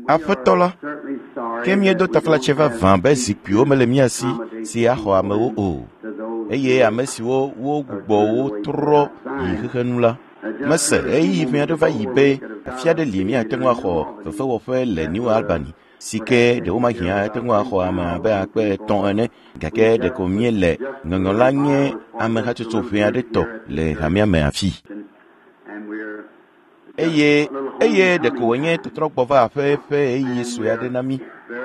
Aƒetɔ la, ke míedo taflatse vavã be zikpuiwo mele mía si si axɔ amewo o, eye ame siwo wogbugbɔ wo trɔ yi xexenu la, mese ɣeyiɣi ʋɛ aɖe va yi be afi aɖe li míate ŋu axɔ fefewɔƒe le New Albany si ke ɖewomahiã ate ŋu axɔ ame abe akpe etɔ̃ ene gake ɖeko míele ŋɔŋɔ la nye ame hatsotso ʋɛ aɖe tɔ le hamea me afi. Eye eye ɖeko wònye tɔtrɔgbɔ va aƒe ƒe ɣeyiɣi sue aɖe na mí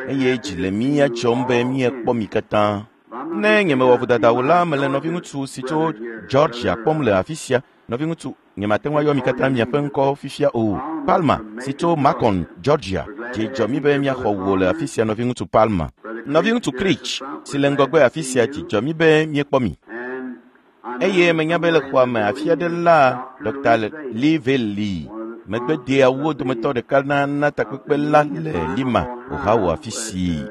eye dzi le mía dzɔm be míekpɔ mi katã. Ne nyemewɔ vodada o la, mele nɔviŋutsu si tso Georgia kpɔm le afi sia. Nɔviŋutsu, nyemate ŋu ayɔ mi katã miaƒe ŋkɔ fifia o. Palma si tso Macon, Georgia. Dzi dzɔ mí be míaxɔ wò le afi sia nɔviŋutsu Palma. Nɔviŋutsu Creech si le ŋgɔgbe afi sia dzi dzɔ mí be míekpɔ mi. Eye menya be le xɔa me afi aɖe la, Dr. Liveli li. Megbedeawo dometɔ ɖeka na na takpekpe la le Lima, Ohio afi si.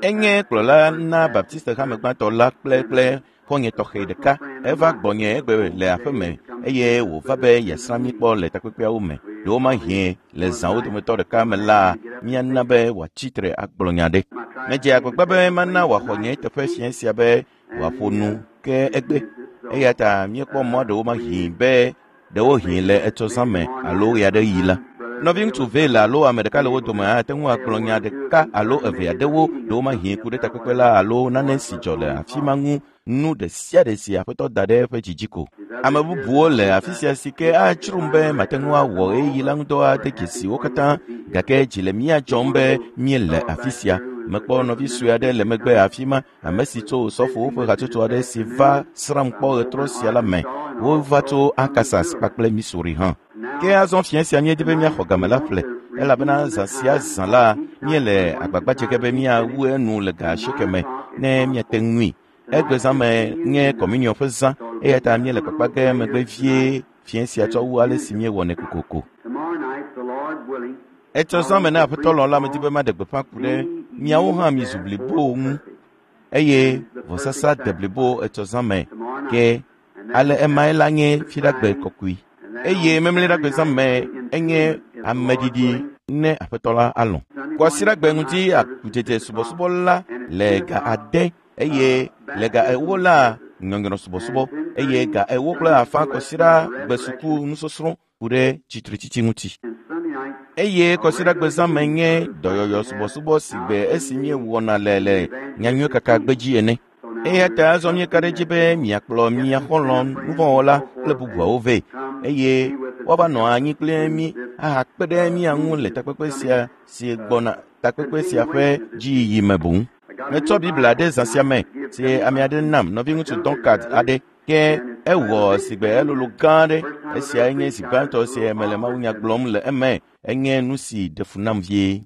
Enye kplɔla na Baptiste hame gbãtɔ la kple kple xɔ̃nye tɔxɛ ɖeka. Eva gbɔnye egbe le aƒeme eye wòva be yeasrã mí kpɔ le takpekpeawo me. Ɖewomahĩ le zãwo dometɔ ɖeka me la, míana be wòatsi tre agblɔ nya ɖe. Medze agbagba be mana wòaxɔ nye teƒe fiẽ sia be wòaƒo nu ke egbe. Eya ta míekpɔ mɔ ɖewomahi be ɖewohĩ le etsɔ zã me alo ɣeaɖeɣi la. Nɔviŋutsu Vale alo ame ɖeka le wo dome ate ŋu agblɔ nya ɖeka alo eve aɖewo ɖewomahi ku ɖe takpekpe la alo nane si dzɔ le afi ma ŋu nu ɖe sia ɖe si aƒetɔ da ɖe eƒe dzi dzi ko. Ame bubuwo le afi sia si ke atsrom be mate ŋu awɔ ɣeyiɣi la ŋudɔ ade dzesi wo katã gake dzi le mía dzɔm be míele afi sia. Mekpɔ nɔvi sue aɖe le megbe afi ma ame si tso Osɔfowo ƒe hatsotso aɖe si va srãm kpɔ ɣetrɔ sia la me. Wova tso Arkansas kpakple Missouri hã. Ke azɔ fiẽ sia míedi be míaxɔ game la ƒle elabena zã sia zã la míele agbagba dze ge be míawu enu le ga asieke me ne míate ŋui. Egbe zã me nye kɔmuniɔ ƒe zã eya ta míele kpakpa ge megbe vie fiẽ sia tsɔ wu ale si míewɔnɛ kokoko. Etsɔ zã me ne aƒetɔ lɔ̃ la medi be maɖe gbeƒã ku ɖe miawo hã mizu blibowo ŋu eye vɔsasa de blibo etsɔ zã me ke ale emae la nye fiɖagbe kɔkɔe eye memleɖagbe zã me enye ameɖiɖi ne aƒetɔ la alɔ̃. Kɔsiɖagbe ŋuti akudzedze subɔsubɔ la le ga ade eye le ga ewo la nyɔnyrɔ subɔsubɔ eye ga ewo kple afã kɔsiɖagbe suku nusɔsrɔ̃ ku ɖe tsitretsitsi ŋuti. Eye kɔsiɖagbe zã me nye dɔyɔyɔ subɔsubɔ si gbe esi míewɔna le le nyanyui kaka gbedzi ene. Eya ta azɔ míeka ɖe edzi be miakplɔ mia xɔlɔ̃ nuvɔ̃wɔla kple bubuawo vɛ eye woava nɔ anyi kple mí ahakpe ɖe mía ŋu le takpekpe sia si gbɔna takpekpe sia ƒe dziyiyi me boŋ. Metsɔ Biblia ɖe zã sia me si ame aɖe nam nɔviŋutsu Dunkard aɖe ke ewɔ sigbe elolo gã aɖe. Esiae nye zi gbãtɔ si mele mawunya gblɔm le eme. Enye nu si ɖe fu nam vie.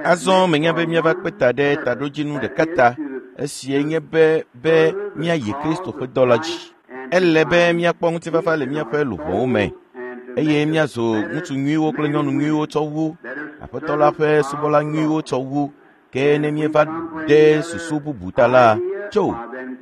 Azɔ menya be míava kpe ta ɖe taɖodzinu ɖeka ta. Esiae nye be be míayi Kristo ƒe dɔ la dzi. Ele be míakpɔ ŋutifafa le míaƒe luʋɔwo me eye míazu ŋutsu nyuiwo kple nyɔnu nyuiwo tsɔ wu Aƒetɔ la ƒe subɔla nyuiwo tsɔ wu. Ke ne míeva ɖe susu bubu ta la, tso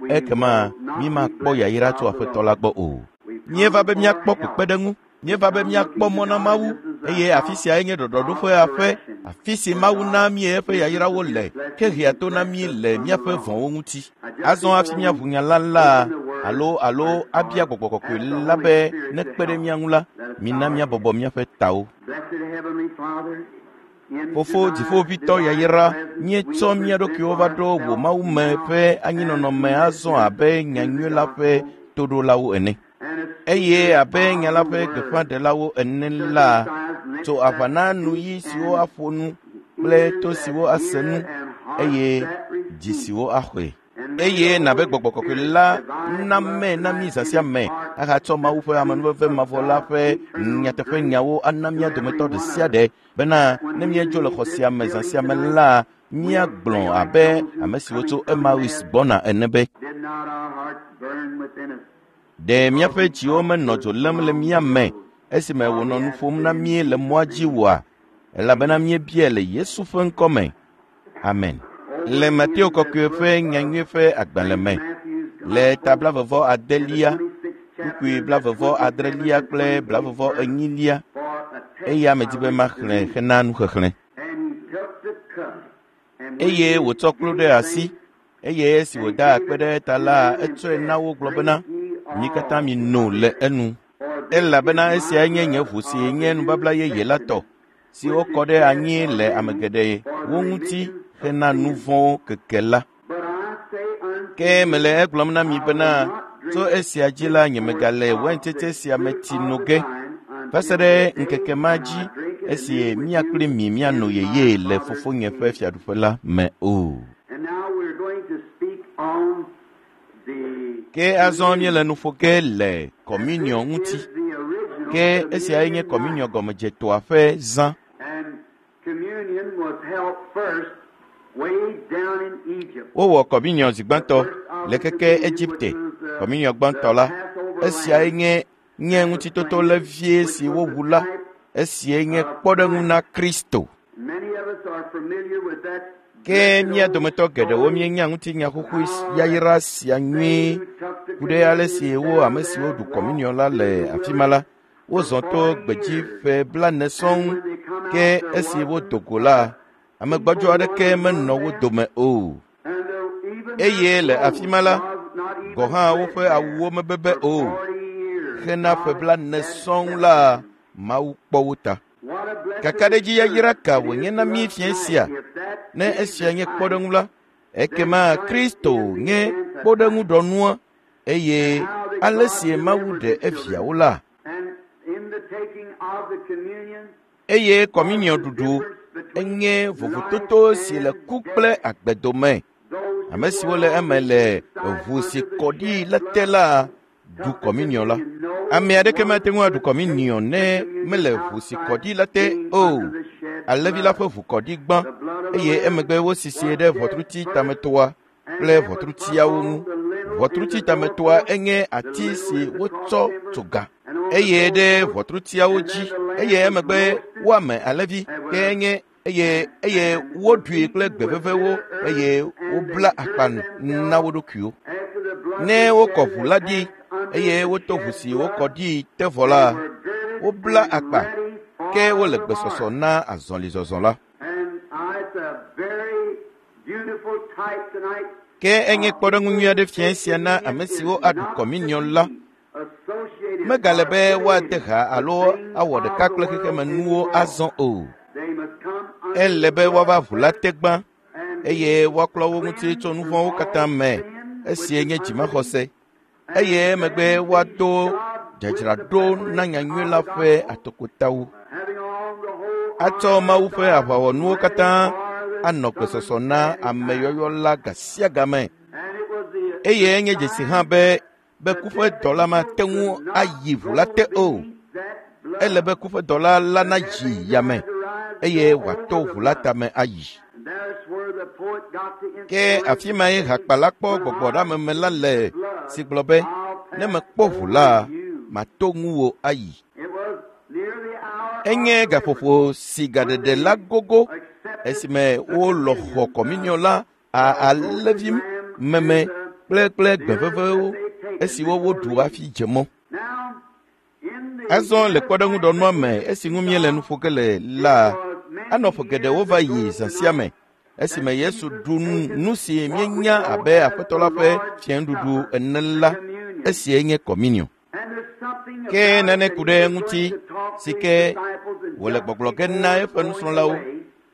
ekema mímakpɔ yayra tso Aƒetɔ la gbɔ o. Míeva be míakpɔ kpekpeɖeŋu. Míeva be míakpɔ mɔ na Mawu eye afi siae nye ɖɔɖɔɖoƒe aƒe, afi si Mawu na mí eƒe yayrawo le ke hea to na mí le míaƒe vɔ̃wo ŋuti. Azɔ hafi míaʋu nya la la alo alo abia gbɔgbɔ kɔkɔe la be nekpe ɖe mía ŋu la, mina míabɔbɔ míaƒe tawo. Fofo dziƒoʋĩtɔ yayra, míetsɔ mía ɖokuiwo va ɖo wò Mawu me ƒe anyinɔnɔ me azɔ abe nyanyui la ƒe toɖolawo ene. Eye abe nya la ƒe gbeƒãɖelawo ene la, tso aʋa na nuyi siwo aƒo nu kple to siwo ase nu eye dzi siwo axɔe. Eye nabe gbɔgbɔ kɔkɔe la name na mí zã sia me ahatsɔ Mawu ƒe amenuveve mavɔ la ƒe nyateƒe nyawo ana mía dometɔ ɖe sia ɖe bena ne míedzo le xɔ sia me zã sia me la, míagblɔ abe ame siwo tso Emmaus gbɔna ene be, Ɖe míaƒe dziwo menɔ dzo lém le mía me esime wònɔ nu ƒom na mí le mɔa dzi oa? Elabena míebiae le Yesu ƒe ŋkɔ me. Amen. Le Mateo kɔkɔe ƒe nyanyui ƒe agbalẽ me, le ta blaeve-vɔ adelia, Kpukpui blavevɔ adrelia kple blavevɔ enyilia eya medi be maxlẽ hena nuxexlẽ. Eye wòtsɔ kplu ɖe asi eye esi wòda akpe ɖe eta la, etsɔe na wo gblɔ bena, mi katã mino le enu. Elabena esiae nye nye ʋu si nye nubabla yeye la tɔ, si wokɔ ɖe anyi le ame geɖe wo ŋuti hena nu vɔ̃wo keke la. Ke mele egblɔm na mi bena, tso esia dzi la nyemegale waintsetse sia me tsi no ge va se ɖe ŋkeke ma dzi esi mía kpli mi míano yeye le fofonye ƒe fiaɖuƒe la me o. Ke azɔ míele nu ƒo ge le kɔmuniɔ ŋuti. Ke esiae nye kɔmuniɔ gɔmedzetoa ƒe zã. Wowɔ kɔmuniɔ zi gbãtɔ le keke Egipte. Kɔmuniɔ gbãtɔ la, esiae nye nye ŋutitoto levie si wowu la, esie nye kpɔɖeŋu na Kristo. Ke mía dometɔ geɖewo míenya ŋutinya xoxoe yayra sia nyuie ku ɖe ale si wo ame siwo ɖu kɔmuniɔ la le afi ma la, wozɔ to gbedzi ƒe blane sɔŋ ke esi wodo go la, ame gbɔdzɔ aɖeke menɔ wo dome o. Eye le afi ma la, gɔ̃ hã woƒe awuwo mebebe o. Hena ƒe blane sɔŋ la, Mawu kpɔ wo ta. Kakaɖedzi yayra ka wònye na mí fiẽ sia? Ne esia nye kpɔɖeŋu la, ekema Kristo nye kpɔɖeŋuɖɔnua eye ale si Mawu ɖe eviawo la. Eye kɔmuniɔ ɖuɖu enye vovototo si le ku kple agbe dome. Ame siwo le eme le ʋu si kɔ ɖi la te la ɖu kɔmuniɔ la. Ame aɖeke mate ŋu aɖu kɔmuniɔ ne mele ʋu si kɔ ɖi la te o. Alẽvi la ƒe ʋu kɔ ɖi gbã eye emegbe wosisie ɖe ʋɔtruti tametoa kple ʋɔtrutiawo ŋu. Ʋɔtruti tametoa enye ati si wotsɔ tso ga eye ɖe ʋɔtrutiawo dzi eye emegbe woame alẽvi ke enye eye eye woɖui kple gbe vevewo eye wobla akpa na wo ɖokuiwo. Ne wokɔ ʋu la ɖi eye woto ʋu si wokɔ ɖi te vɔ la, wobla akpa ke wole gbesɔsɔ na azɔlizɔzɔ la. Ke enye kpɔɖeŋu nyui aɖe fiẽ sia na ame siwo aɖu kɔmuniɔ la. Megale be woade ha alo awɔ ɖeka kple xexemenuwo azɔ o. Ele be woava ʋu la te gbã eye woaklɔ wo ŋuti tso nu vɔ̃wo katã me esie nye dzimaxɔse eye emegbe woado dzadzraɖo na nyanyui la ƒe atokotawo. Atsɔ Mawu ƒe aʋawɔnuwo katã anɔ gbesɔsɔ na ameyɔyɔ la ga sia game. Eye enye dzesi hã be be kuƒe dɔla mate ŋu ayi ʋu la te o. Ele be kuƒe dɔla la nayi yame eye wòato ʋu la tame ayi. Ke afi mae hakpala kpɔ gbɔgbɔɖeameme la le si gblɔ be, ne mekpɔ ʋu la, mato ŋuwò ayi. Enye gaƒoƒo si gaɖeɖe la gogo esime wolɔ xɔ kɔmuniɔ la alẽvi meme kple kple gbe vevewo esiwo woɖu hafi dze mɔ. Azɔ le kpɔɖeŋuɖɔnua me esi ŋu míele nu ƒo ge le la, anɔ ƒe geɖewo va yi zã sia me esime Yesu ɖu nu si míenya abe Aƒetɔ la ƒe fiẽnuɖuɖu ene la, esie nye kɔmuniɔ. Ke nane ku ɖe eŋuti si ke wòle gbɔgblɔ ge na eƒe nusrɔ̃lawo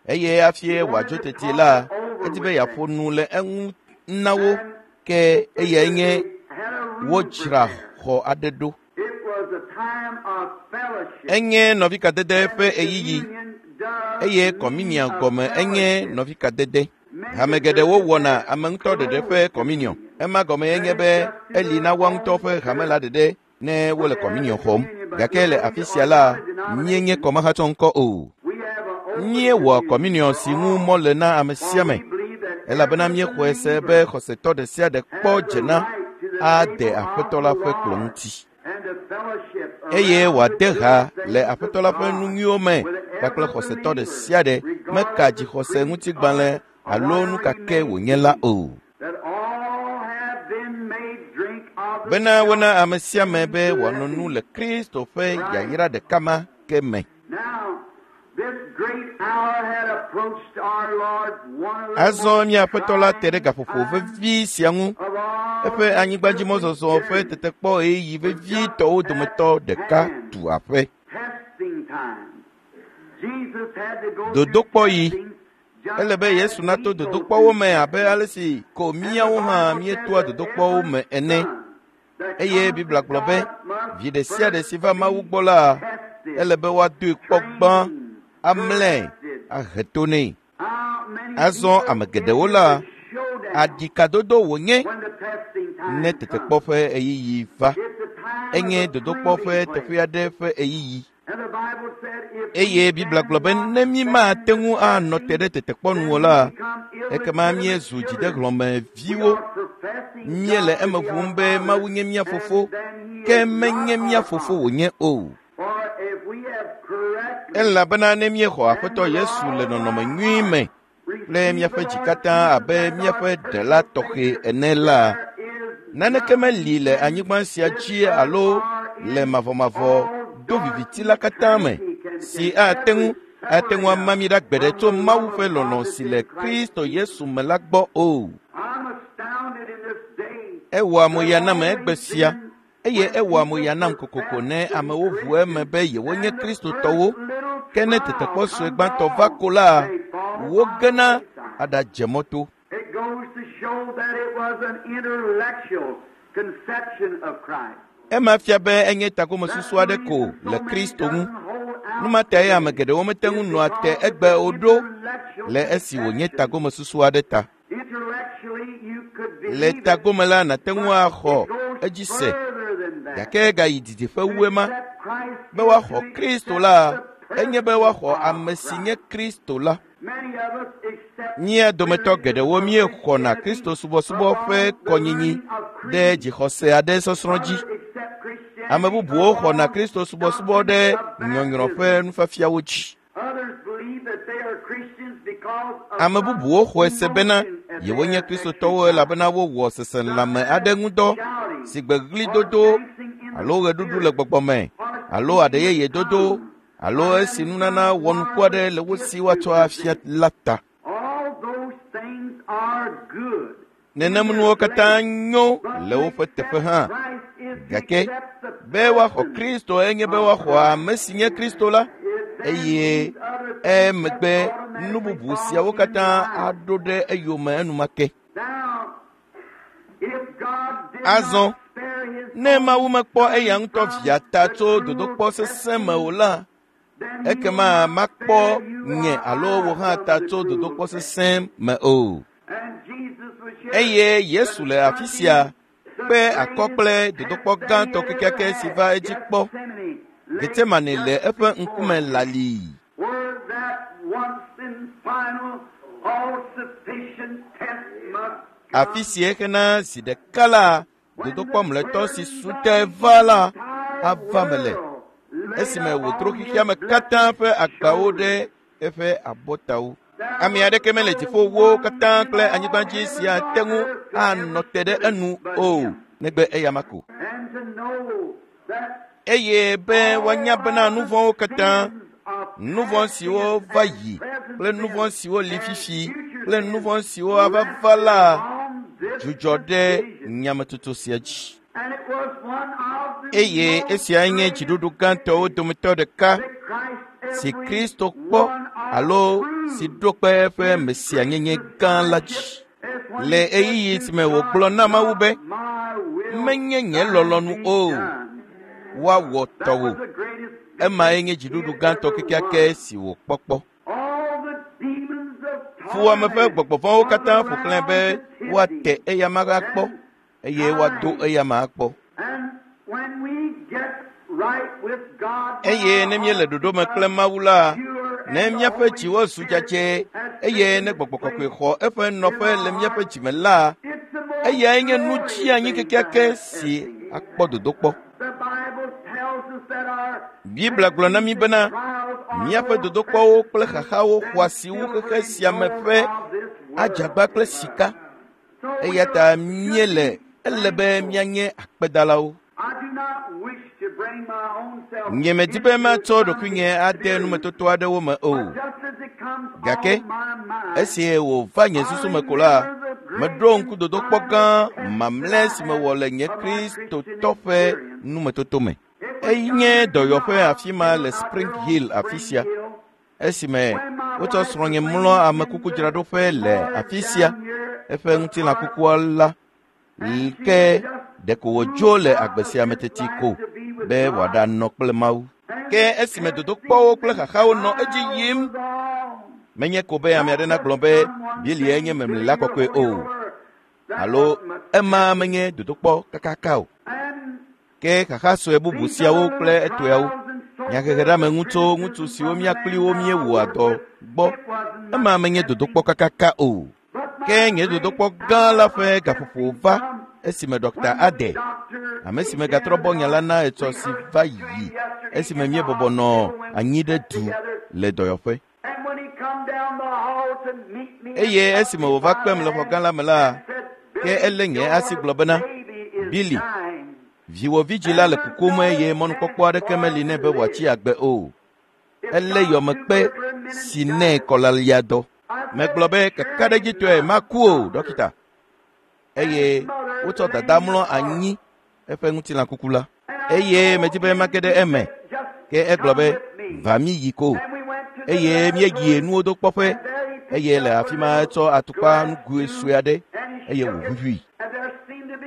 eye hafi wòadzo teti la, edi be yeaƒo nu le eŋu na wo ke eyae nye wodzra xɔ aɖe ɖo. Enye nɔvikadede ƒe ɣeyiɣi eye kɔminia gɔme enye nɔvikadede. Hame geɖewo wɔna ame ŋutɔ ɖeɖe ƒe kɔminiɔ. Ema gɔme enye be eli na woa ŋutɔ ƒe hame la ɖeɖe ne wole kɔminiɔ xɔm. Gake le afi sia la, míenye kɔmahatsɔ ŋkɔ o. Míewɔ kɔminiɔ si ŋu mɔ le na ame sia ame elabena míexɔe se be xɔsetɔ ɖe sia ɖe kpɔ dzena ade Aƒetɔ la ƒe kplɔ̃ ŋuti eye wòade ha le Aƒetɔ la ƒe nu nyuiwo me kpakple xɔsetɔ ɖe sia ɖe meka dzixɔse ŋutigbalẽ alo nu ka ke wònye la o. Bena wona ame sia ame be wòano nu le Kristo ƒe yayra ɖeka ma ke me. Azɔ mía Aƒetɔ la te ɖe gaƒoƒo vevi sia ŋu. Eƒe anyigbadzimɔzɔzɔ ƒe tetekpɔ ɣeyiɣi vevitɔwo dometɔ ɖeka tu aƒe. Dodokpɔɣi. Ele be Yesu nato dodokpɔwo me abe ale si ko míawo hã míetoa dodokpɔwo me ene. Eye Biblia gblɔ be vi ɖe sia ɖe si va Mawu gbɔ la, ele be woadoe kpɔ gbã, amlãe, ahe to nɛ. Azɔ ame geɖewo la, aɖikadodo wònye ne tetekpɔ ƒe ɣeyiɣi va. Enye dodokpɔ ƒe teƒe aɖe ƒe ɣeyiɣi. Eye Biblia gblɔ be ne mí mate ŋu anɔ te ɖe tetekpɔ nu o la, ekema míezu dzidehlɔ̃me viwo. Míele eme ʋum be Mawu nye mía fofo, ke menye mía fofo wònye o. Elabena ne míexɔ Aƒetɔ Yesu le nɔnɔme nyui me kple míaƒe dzi katã abe míaƒe ɖela tɔxɛ ene la, naneke meli le anyigba sia dzi alo le mavɔmavɔ do viviti la katã me si ate ŋu ate ŋu ama mí ɖa gbeɖe tso Mawu ƒe lɔlɔ̃ si le Kristo Yesu me la gbɔ o. Ewɔa mo ya nam egbe sia eye ewɔa mo ya nam kokoko ne amewo ʋu eme be yewonye Kristotɔwo ke ne tetekpɔ sue gbãtɔ va ko la, wogena aɖadze mɔto. It goes to show that it was an intellectual conception of Christ. Ema fia be enye tagomesusu aɖe ko le Kristo ŋu. Nu ma tae ame geɖewo mete ŋu nɔa te egbe o ɖo le esi wònye tagomesusu aɖe ta. Intellectually, you could believe Le it, tagome la, nàte ŋu axɔ it goes edzi se further than that. gake gayi didiƒe wu ema. Accept Christ Be is woaxɔ to Kristo accept la, the enye be person woaxɔ of ame si nye Christ. Kristo la. Many of us accept Mía dometɔ geɖewo míexɔna Kristo subɔsubɔ ƒe kɔnyinyi ɖe dzixɔse aɖe sɔsrɔ̃ dzi. Others accept Christianity Ame bubuwo xɔna upon Kristo subɔsubɔ ɖe nyɔnyrɔ ƒe nufiafiawo dzi. Others believe that they are Christians because of Ame some bubuwo xɔe se bena emotion that they yewonye have Kristotɔwo exercised. elabena wowɔ seselãme aɖe ŋudɔ si gbe ɣlidodo alo ɣeɖuɖu le gbɔgbɔ me alo aɖeyeyedodo alo esi nunana wɔnuku aɖe le wo si woatsɔ afia la ta. All those things are good. Nenem nuwo katã nyo le woƒe teƒe hã. Gake be woaxɔ Kristo enye be woaxɔ ame si nye Kristo la eye emegbe nu bubu siawo katã aɖo ɖe eyome enumake. Azɔ, ne Mawu mekpɔ eya ŋutɔ via ta tso dodokpɔ sesẽ me o la, ekema makpɔ nye alo wò hã ta tso dodokpɔ sesẽ me o. Eye Yesu le afi sia kpe akɔ kple dodokpɔ gãtɔ kekeake si va edzi kpɔ. Getsemane le eƒe ŋkume lalii. Where that once and final all-sufficient test must Afi si hena zi ɖeka la, dodokpɔ mlɔetɔ si su te va la ava me le esime wòtro xexeame katã ƒe agbawo ɖe eƒe abɔtawo. Ame aɖeke mele dziƒowo katã kple anyigba dzi si ate ŋu anɔ te ɖe enu o, negbe eyama ko. and to know that Eye be woanya bena nu vɔ̃wo katã, nu vɔ̃ siwo va yi kple nu vɔ̃ siwo li fifi kple nu vɔ̃ siwo ava va la dzudzɔ ɖe nyametsotso sia dzi. and it was one of the Eye esiae nye dziɖuɖu gãtɔwo dometɔ ɖeka that Christ si every Kristo kpɔ alo si ɖo kpe eƒe mesianyenye gã la dzi. Le ɣeyiɣi si me wògblɔ na Mawu be, my will menye nye lɔlɔ̃nu o, woawɔ That tɔwò. was the greatest Emae nye dziɖuɖu gãtɔ kekeake si wòkpɔ kpɔ. All the demons of Fuwɔame ƒe torment gbɔgbɔ vɔ̃wo katã ƒo xlãe be woate eyama akpɔ eye woado eyama akpɔ. And when we get right with God, Eye ne míele ɖoɖo me kple Mawu la, ne míaƒe dziwo zu dzadzɛ eye ne gbɔgbɔ kɔkɔe xɔ eƒe nɔƒe le míaƒe dzime la, it's the most eyae nye nu tsianyi glorious thing kekeake to have si seen. akpɔ dodokpɔ. The Bible tells us that our Biblia gblɔ na mí bena trials are míaƒe more dodokpɔwo kple precious xaxawo than xɔ asi wu silver xexe and sia me gold ƒe of this world. adzagba kple sika. So we Eya ta míele Ele be míanye akpedalawo. Nyemedi be matsɔ ɖokuinye ade numetoto aɖewo me o. Gake esi wòva nye susu me ko la, meɖo ŋku dodokpɔ gã mamlɛ si mewɔ le nye Kristotɔ ƒe numetoto me. Enye dɔyɔƒe afi ma le Spring Hill afi sia. Esime wotsɔ srɔ̃nye mlɔ amekukudzraɖoƒe le afi sia, eƒe ŋutilã kukua la ke ɖeko wòdzo le agbe sia me teti ko be wòaɖanɔ kple Mawu. Ke esime dodokpɔwo kple xaxawo nɔ edzi yim, menye ko be ame aɖe nagblɔ be Bilie nye memlila kɔkɔe o, alo ema menye dodokpɔ kakaka o. Ke xaxa sue bubu siawo kple etɔeawo, nyaheheɖeameŋu tso ŋutsu siwo mía kpli wo míewɔa dɔ gbɔ, ema menye dodokpɔ kakaka o. Ke nye dodokpɔ gã la ƒe gaƒoƒo va esime Dɔkta Ade, ame si megatrɔ bɔ nya la na etsɔ si va yi esime míebɔbɔ nɔ anyi ɖe du le dɔyɔƒe. Eye esime wòva kpem le xɔ gã la me la, ke elé nye asi gblɔ bena, Billy, viwò vidzĩ la le kukum eye mɔnukpɔkpɔ aɖeke meli nɛ be wòatsi agbe o. Elé yɔmekpe si nɛ kɔlaliadɔ. Megblɔ be kakaɖedzitɔe maku o, dɔkita. Eye wotsɔ dada mlɔ anyi eƒe ŋutilã kuku la. Eye medi be mage ɖe eme. Ke egblɔ be, va mí yi ko. Eye míeyi nuwo do kpɔƒe. Eye le afi ma etsɔ atukpa nugoe sue aɖe eye wòʋuʋui.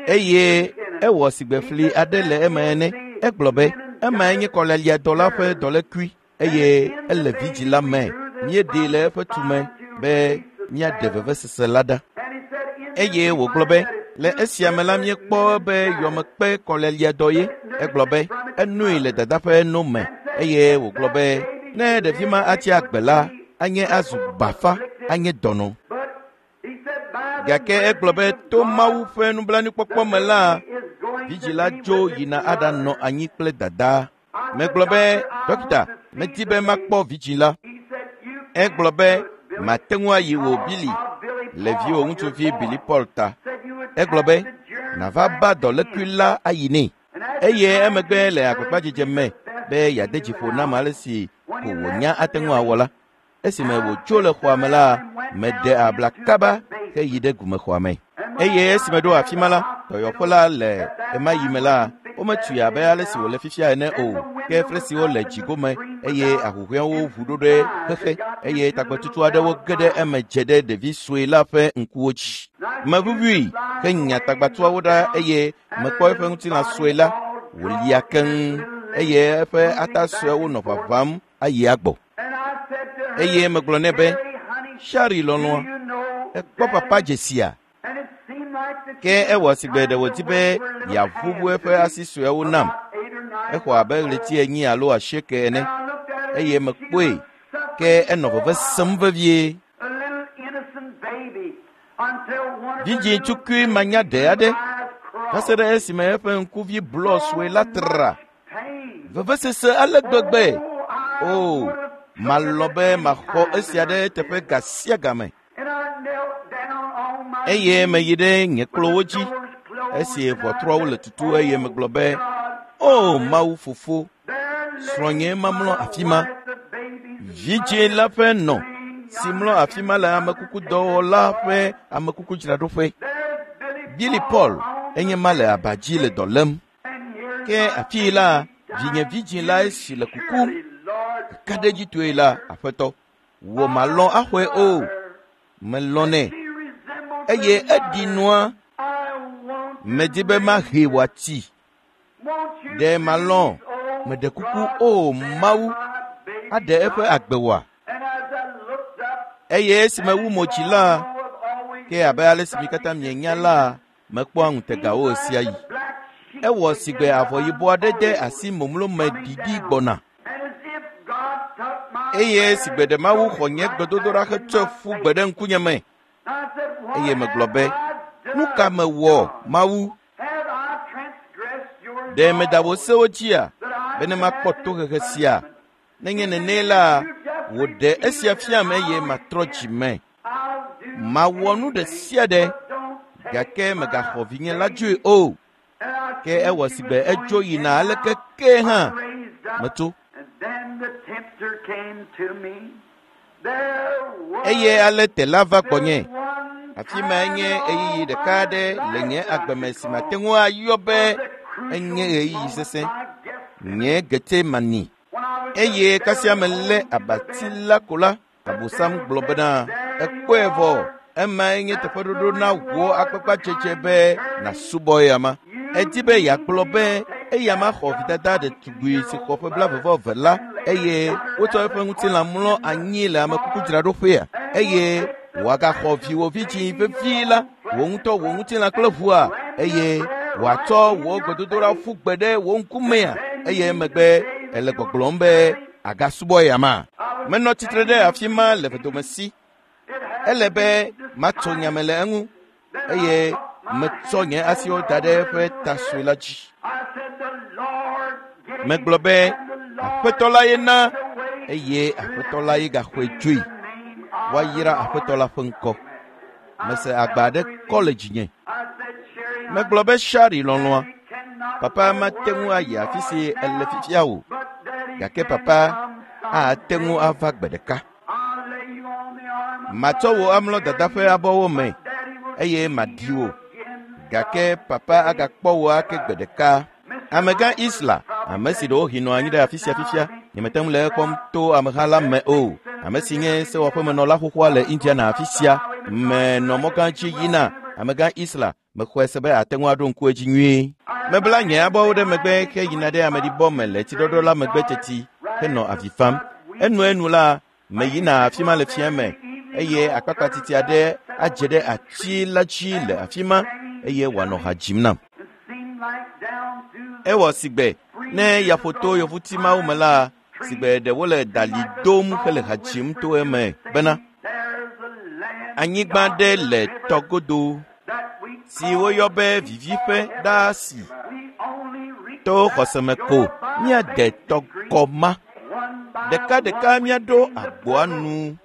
Eye ewɔ sigbe fli aɖe le eme ene. Egblɔ be, emae nye kɔlaliadɔ la ƒe dɔlékui eye ele vidzĩ la me. Míeɖee le eƒe tume be míaɖe vevesese la ɖa. Eye wògblɔ be, le esia me la míekpɔ be yɔmekpe kɔleliadɔ ye. Egblɔ be, enoe le dada ƒe no me. Eye wògblɔ be, ne ɖevi ma atsi agbe la, anye azu bafa, anye dɔnɔ. Gake egblɔ be to Mawu ƒe nublanuikpɔkpɔ me la, vidzĩ la dzo yina aɖanɔ anyi kple dadaa. Megblɔ be, dɔkita, medi be makpɔ vidzĩ la. Egblɔ be, mate ŋu ayi wò Billy le viwò ŋutsuvi Billy Paul ta. Egblɔ be, nàva ba dɔlékui la ayi nɛ. Eye emegbe le agbagbadzedze me be yeade dzi ƒo nam ale si ko wònya ate ŋu awɔ la. Esime wòtso le xɔa me la, meɖe abla kaba heyi ɖe gumexɔa me. Eye esime ɖo afi ma la, dɔyɔƒe la le ɣemaɣi me la, wometui abe ale si wòle fifia ene o. Ke flesiwo le dzigome eye ahuhɔ̃ewo ʋu ɖo ɖe xexe eye tagbɔtutu aɖewo ge ɖe eme dze ɖe ɖevi sue la ƒe ŋkuwo dzi. Meʋuʋui henya tagbatuawo ɖa eye mekpɔ eƒe ŋutilã sue la wòlia keŋ eye eƒe ata suewo nɔ ʋaʋãm ayi agbɔ. Eye megblɔ nɛ be, Shari lɔlɔ̃a, ekpɔ papa dzesia? Ke ewɔ sigbe ɖe wòdi be yeaʋuʋu eƒe asi suewo nam. Exɔ abe ɣleti 4 alo 8 ene. Eye mekpɔe, ke enɔ veve sem vevie. Vidzĩ tukui manyaɖe aɖe va se ɖe esime eƒe ŋkuvi blɔ sue la tra. Vevesese ale gbegbe. O, malɔ̃ be maxɔ esia ɖe teƒe ga sia game. Eye meyi ɖe nye kplɔwo dzi esi ʋɔtruawo le tutu eye megblɔ be, O Mawu Fofo, srɔ̃nye mamlɔ afi ma. Vidzĩ la ƒe nɔ si mlɔ afi ma le amekukudɔwɔla ƒe amekukudzraɖoƒe. Billy Paul enye ma le aba dzi le dɔ lém. Ke afii la, vinye vidzĩ la esi le kukum. Kakaɖedzitɔe la, Aƒetɔ, wò malɔ̃ axɔe o. Melɔ̃nɛ eye eɖi nua. Medi be mahee wòatsi. Ɖe malɔ̃ meɖe kuku o Mawu aɖe eƒe agbe wòa? Eye esime wu mo dzi la, ke abe ale si mi katã mienya la, mekpɔa ŋutegawo ɣesiaɣi. Ewɔ sigbe avɔ yibɔ aɖe de asi momlome ɖiɖi gbɔna. Eye sigbe ɖe Mawu xɔ nye gbedodoɖa hetsɔe ƒu gbe ɖe ŋkunye me. Eye megblɔ be, nu ka mewɔ, Mawu? Ɖe meda wò sewo dzia, bene makpɔ tohehe sia? Nenye nene la, wòɖe esia fiam eye matrɔ dzi me. Mawɔ nu ɖe sia ɖe, Gake megaxɔ vinye la dzoe o. Ke ewɔ si be edzo yina aleke ke hã metso. Eye ale tela va gbɔnye. Afi mae nye ɣeyiɣi ɖeka aɖe le nye agbeme si mate ŋu ayɔ be enye ɣeyiɣi sesẽ. Nye Getsemani. Eye kasia melé abati la ko la, Abosam gblɔ bena, ekpɔe vɔ, emae nye teƒeɖoɖo na wò akpakpadzedze be nàsubɔ eyama. Edi be yeagblɔ be eyama xɔ vidada ɖetugbui si xɔ ƒe 22 la eye wotsɔ eƒe ŋutilã mlɔ anyi le amekukudzraɖoƒea eye wòagaxɔ viwò vidzĩ vevi la, wò ŋutɔ wò ŋutilã kple ʋua eye wòatsɔ wò gbedodoɖa ƒu gbe ɖe wò ŋkumea eye emegbe ele gbɔgblɔm be agasubɔ eyama. Menɔ tsitre ɖe afi ma le vedomesi. Ele be matso nya me le eŋu eye metsɔ nye asiwo da ɖe eƒe ta sue la dzi. Megblɔ be Aƒetɔ la ye na eye Aƒetɔ la ye gaxɔe dzoe. Woayra Aƒetɔ la ƒe ŋkɔ. Mese agba aɖe kɔ le dzinye. Megblɔ be Shari lɔlɔ̃a, papa mate ŋu ayi afi si ele fifia o, gake papa ate ŋu ava gbe ɖeka. Matsɔ wò amlɔ dada ƒe abɔwo me eye maɖi wò, gake papa agakpɔ wò ake gbe ɖeka. Amegã Isla, ame si ɖewohĩ nɔ anyi ɖe afi sia fifia, nyemete ŋu le ekpɔm to ameha la me o. Ame si nye sewɔƒemenɔla xoxoa le Indiana afi sia, menɔ mɔgã dzi yina. Amegã Isla, mexɔe se be ate ŋu aɖo ŋku edzi nyuie. Mebla nye abɔwo ɖe megbe heyina ɖe ameɖibɔ me le tsiɖɔɖɔ la megbe teti henɔ avi fam. Enuenu la, meyina afi ma le fia me eye akpakpatiti aɖe adze ɖe ati la dzi le afi ma eye wòanɔ ha dzim nam. Ewɔ sigbe ne yaƒoto yevuti mawo me la, sigbe ɖe wole dali dom hele ha dzim to eme bena anyigba ɖe le tɔgodo si woyɔ be viviƒe ɖaa si to xɔseme ko míade tɔgɔ ma. Ɖekaɖeka míaɖo agboa nu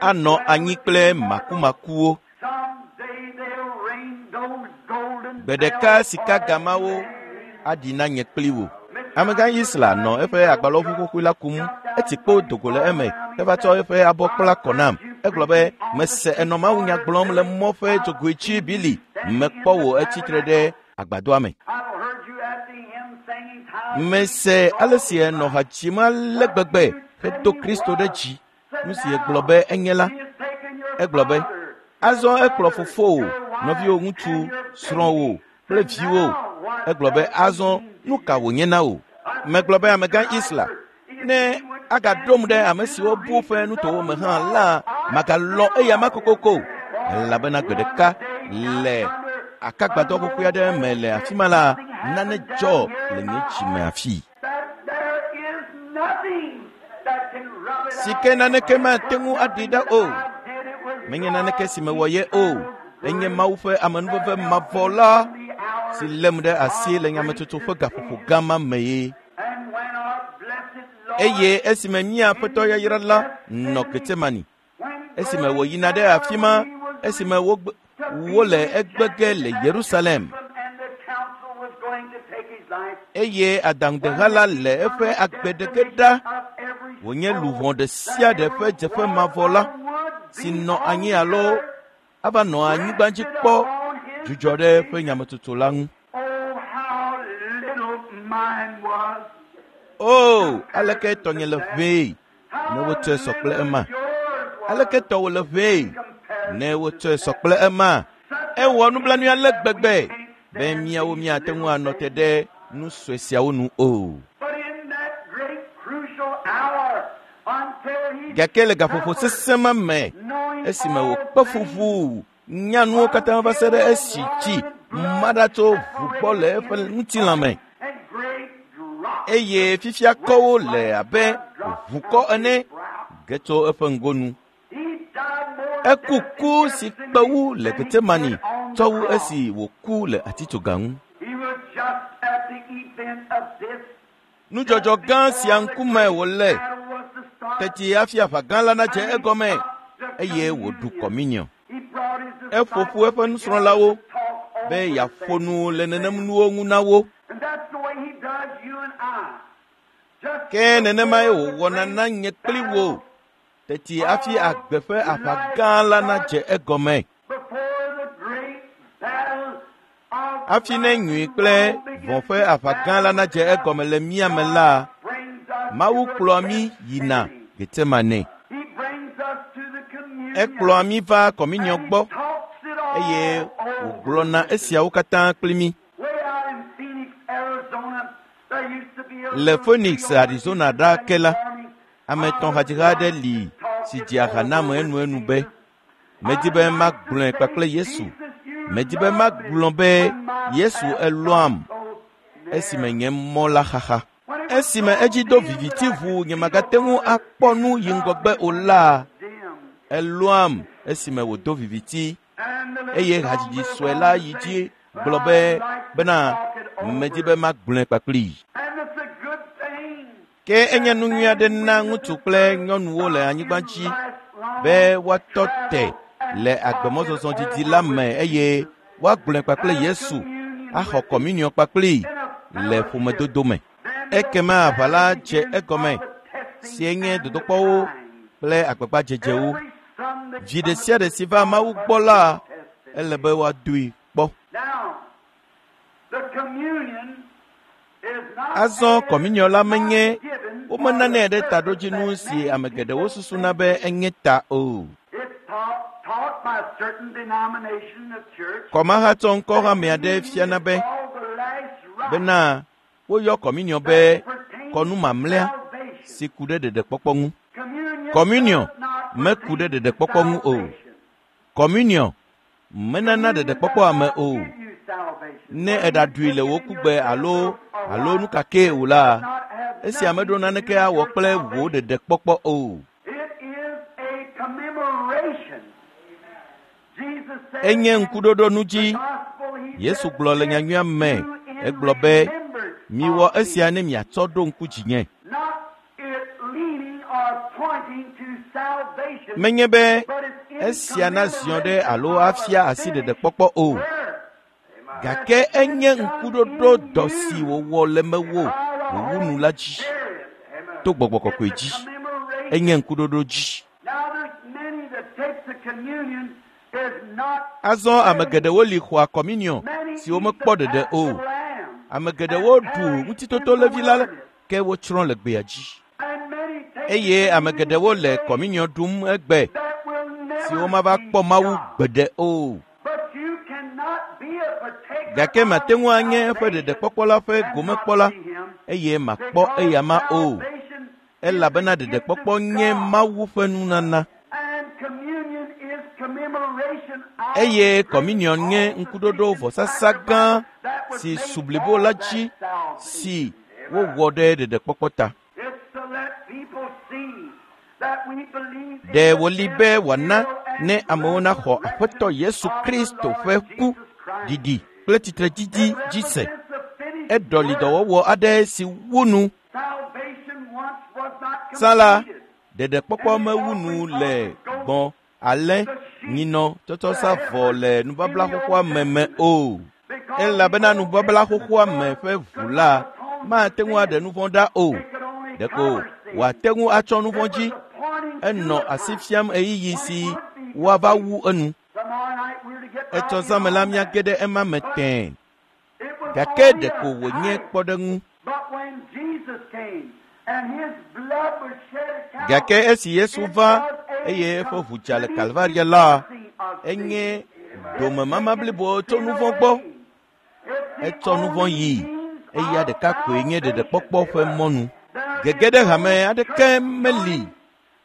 anɔ anyi kple makumakuwo. Gbe ɖeka sikagamawo aɖi na nye kpli wò. Amegã Isla nɔ eƒe agbalɔʋu xoxoe la kum, etsi kpo do go le eme heva tsɔ eƒe abɔ kpla kɔ nam. Egblɔ be, mese enɔ mawunya gblɔm le mɔ ƒe dzogoe dzi Bili, mekpɔ wò etsitre ɖe agbadɔa me. Mese ale si enɔ ha dzim ale gbegbe hedo Kristo ɖe dzi. Nu si egblɔ be enye la, egblɔ be, azɔ ekplɔ fofowò, nɔviwò ŋutsu, srɔ̃wò kple viwò. Egblɔ be azɔ nu ka wònye na wò? Megblɔ be amegã Isla, ne agaɖom ɖe ame siwo bu ƒe nutowo me hã la, magalɔ eya ma kokoko, elabena gbe ɖeka le akagbadɔ xoxoe aɖe me le afi ma la, nane dzɔ le nye dzime afi. Si ke naneke mate ŋu aɖi ɖa o. Menye naneke si mewɔ ye o. Enye Mawu ƒe amenuveve mavɔ la si lém ɖe asi le nyametsotso ƒe gaƒoƒo gã ma me ye. Eye esime mía Aƒetɔ yayra la nɔ Getsemani, esime wòyina ɖe afi ma, esime wole egbege le Yerusalem, eye adaŋudeha la le eƒe agbe ɖeke ɖa, wònye luʋɔ ɖe sia ɖe ƒe dzeƒe mavɔ la, si nɔ anyi alo ava nɔ anyigba dzi kpɔ dzudzɔ ɖe eƒe nyametsotso la ŋu. O, aleke tɔnye le ʋee ne wotsɔe sɔ kple ema. Aleke tɔwò le ʋee ne wotsɔe sɔ kple ema. Ewɔ nublanui ale gbegbe be míawo míate ŋu anɔ te ɖe nu sue siawo nu o. Gake le gaƒoƒo sesẽ ma me, esime wòkpe fu ʋuu nya nuwo katã va se ɖe esi tsi ma ɖa tso ʋu gbɔ le eƒe ŋutilã me, eye fifia kɔwo le abe ʋukɔ ene ge tso eƒe ŋgonu. Eku ku si kpe wu le Getsemani tsɔ wu esi wòku le atitsoga ŋu. Nudzɔdzɔ gã sia ŋkume wòle teti hafi aʋa gã la nadze egɔme eye wòɖu kɔminiɔ. Eƒo ƒu eƒe nusrɔ̃lawo be yeaƒo nu le nenem nuwo ŋu na wo. And that's the way he does you and I. Just Ke nenemae wòwɔna na nye kpli wò teti hafi agbe ƒe aʋa gã la nadze egɔme. before the great battle of Hafi ne nyui kple vɔ̃ ƒe aʋa gã la nadze egɔme le mía me la, brings us Mawu to the kplɔa mí yina Getsemane. He brings us to the communion. Ekplɔa mí va kɔminiɔ And he gbɔ talks it all eye over. wògblɔna esiawo katã kpli mí. Way out in Phoenix, Arizona, there used to be a Le little Phoenix, trio Arizona ɖaa ke la, army. ame etɔ̃ hadziha aɖe li si dzea ha nam enuenu be, medi be magblɔe kpakple Yesu. Medi be magblɔ be Yesu elɔ̃am esime nye mɔ la xaxa. Esime edzi do viviti ʋuu nyemagate ŋu akpɔ nu yi ŋgɔgbe o la, elɔ̃am esime wòdo viviti And the little eye hadzidzi sue la yi dzi gblɔ be bena medi be magblɔe kpakplii. And it's a good thing. Ke enye nu nyui aɖe na ŋutsu kple nyɔnuwo le anyigba dzi be woatɔ te le agbemɔzɔzɔ didi la me eye woagblɔe kpakple Yesu axɔ kɔminiɔ kpakplii le ƒomedodo me. Ekema aʋa la dze egɔme sie nye dodokpɔwo kple agbagbadzedzewo. Every Sunday Vi ɖe sia ɖe si va Mawu gbɔ la, ele be woadoe kpɔ. Now, the communion is not Azɔ kɔminiɔ la menye given womenanɛ ɖe taɖodzinu si ame geɖewo susuna be enye ta o. It's taught by certain denomination of church. Kɔmahatsɔ ŋkɔhame aɖe fiana be Called the last rite bena woyɔ kɔminiɔ be pertains kɔnu mamlɛa salvation. si ku ɖe ɖeɖekpɔkpɔ ŋu. Communion Kɔminiɔ does not meku ɖe pertain ɖeɖekpɔkpɔ ŋu o. salvation. Kɔminiɔ menana ɖeɖekpɔkpɔ ame o. Give you salvation. Ne eɖaɖui le wò kugbe alo alo nu kakee o la, esia meɖo naneke awɔ kple wò ɖeɖekpɔkpɔ o. It is a commemoration. Jesus said Enye in ŋkuɖoɖo nu dzi. the gospel, he Yesu said, gblɔ le nyanyuia me, "Do in egblɔ be, remembrance miwɔ of me." esia ne miatsɔ ɖo ŋku dzinye. Not it leaning or pointing to salvation, Menye be but it's in esia naziɔ ɖe commemoration alo of afia a asi finished ɖeɖekpɔkpɔ o. work. Gake enye ŋkuɖoɖo dɔ si wòwɔ le mewò wòwu nu la dzi Spirit. to gbɔgbɔ kɔkɔe It's dzi. a commemoration. Enye ŋkuɖoɖo dzi. Now there's many that takes the communion is not Azɔ ame geɖewo li xɔa kɔminiɔ many siwo eat the mekpɔ ɖeɖe Paschal o. lamb, Ame geɖewo ɖu ŋutitotolevi la ke wotsrɔ̃ le gbea dzi. and many take Eye the ame geɖewo le communion kɔminiɔ ɖum egbe that will never siwo mava see kpɔ Mawu God. gbeɖe o. But you cannot be a partaker Gake mate ŋu anye of eƒe salvation ɖeɖekpɔkpɔ la ƒe and not gomekpɔla see him, eye makpɔ eyama o. salvation is Elabena the gift of ɖeɖekpɔkpɔ nye God, Mawu ƒe nunana and communion is commemoration of eye the great kɔminiɔ nye ŋkuɖoɖo vɔsasa gã all-sufficient sacrifice that was si made su blibo la for dzi that salvation. si wowɔ ɖe ɖeɖekpɔkpɔ ta. It's to let people see that we believe in Ɖe the wòli death, be wòana burial, and ne amewo naxɔ Aƒetɔ Yesu resurrection of the Kristo Lord ƒe ku, Jesus Christ. ɖiɖi kple tsitretsitsi It dzi se. represents the finished Eɖɔli work. dɔwɔwɔ aɖe si wu nu. Salvation once was not Tsã la, completed. ɖeɖekpɔkpɔ mewu nu le gbɔ̃, alẽ, nyinɔ tsɔtsɔ sa vɔ le nubabla xoxoa me me o. Because Elabena the Old nubabla xoxoa Testament me blood ƒe ʋu could la not atone for mate ŋu aɖe sin. nu vɔ̃ ɖa o. It could only Ɖeko cover sin. wòate ŋu atsɔ nu It vɔ̃ was dzi. a pointing to Enɔ a asi time fiam ɣeyiɣi when si it would be woava completed. wu enu. Tomorrow night we're to get right Etsɔ in zã me la on that. míage ɖe ema me But tẽe. it was Gake only a ɖeko wònye type. kpɔɖeŋu. But when Jesus came and his blood was shed at Gake Calvary, esi Yesu it va was a eye eƒe ʋu dza le complete Kalvaria la, cleansing of sin. enye It's domemama taken blibo tso sin nu vɔ̃ gbɔ. away. It's the Etsɔ nu vɔ̃ only yii. means Eya of ɖeka koe nye salvation. ɖeɖekpɔkpɔ ƒe mɔnu. There Gege is ɖe no hame aɖeke church meli. joining,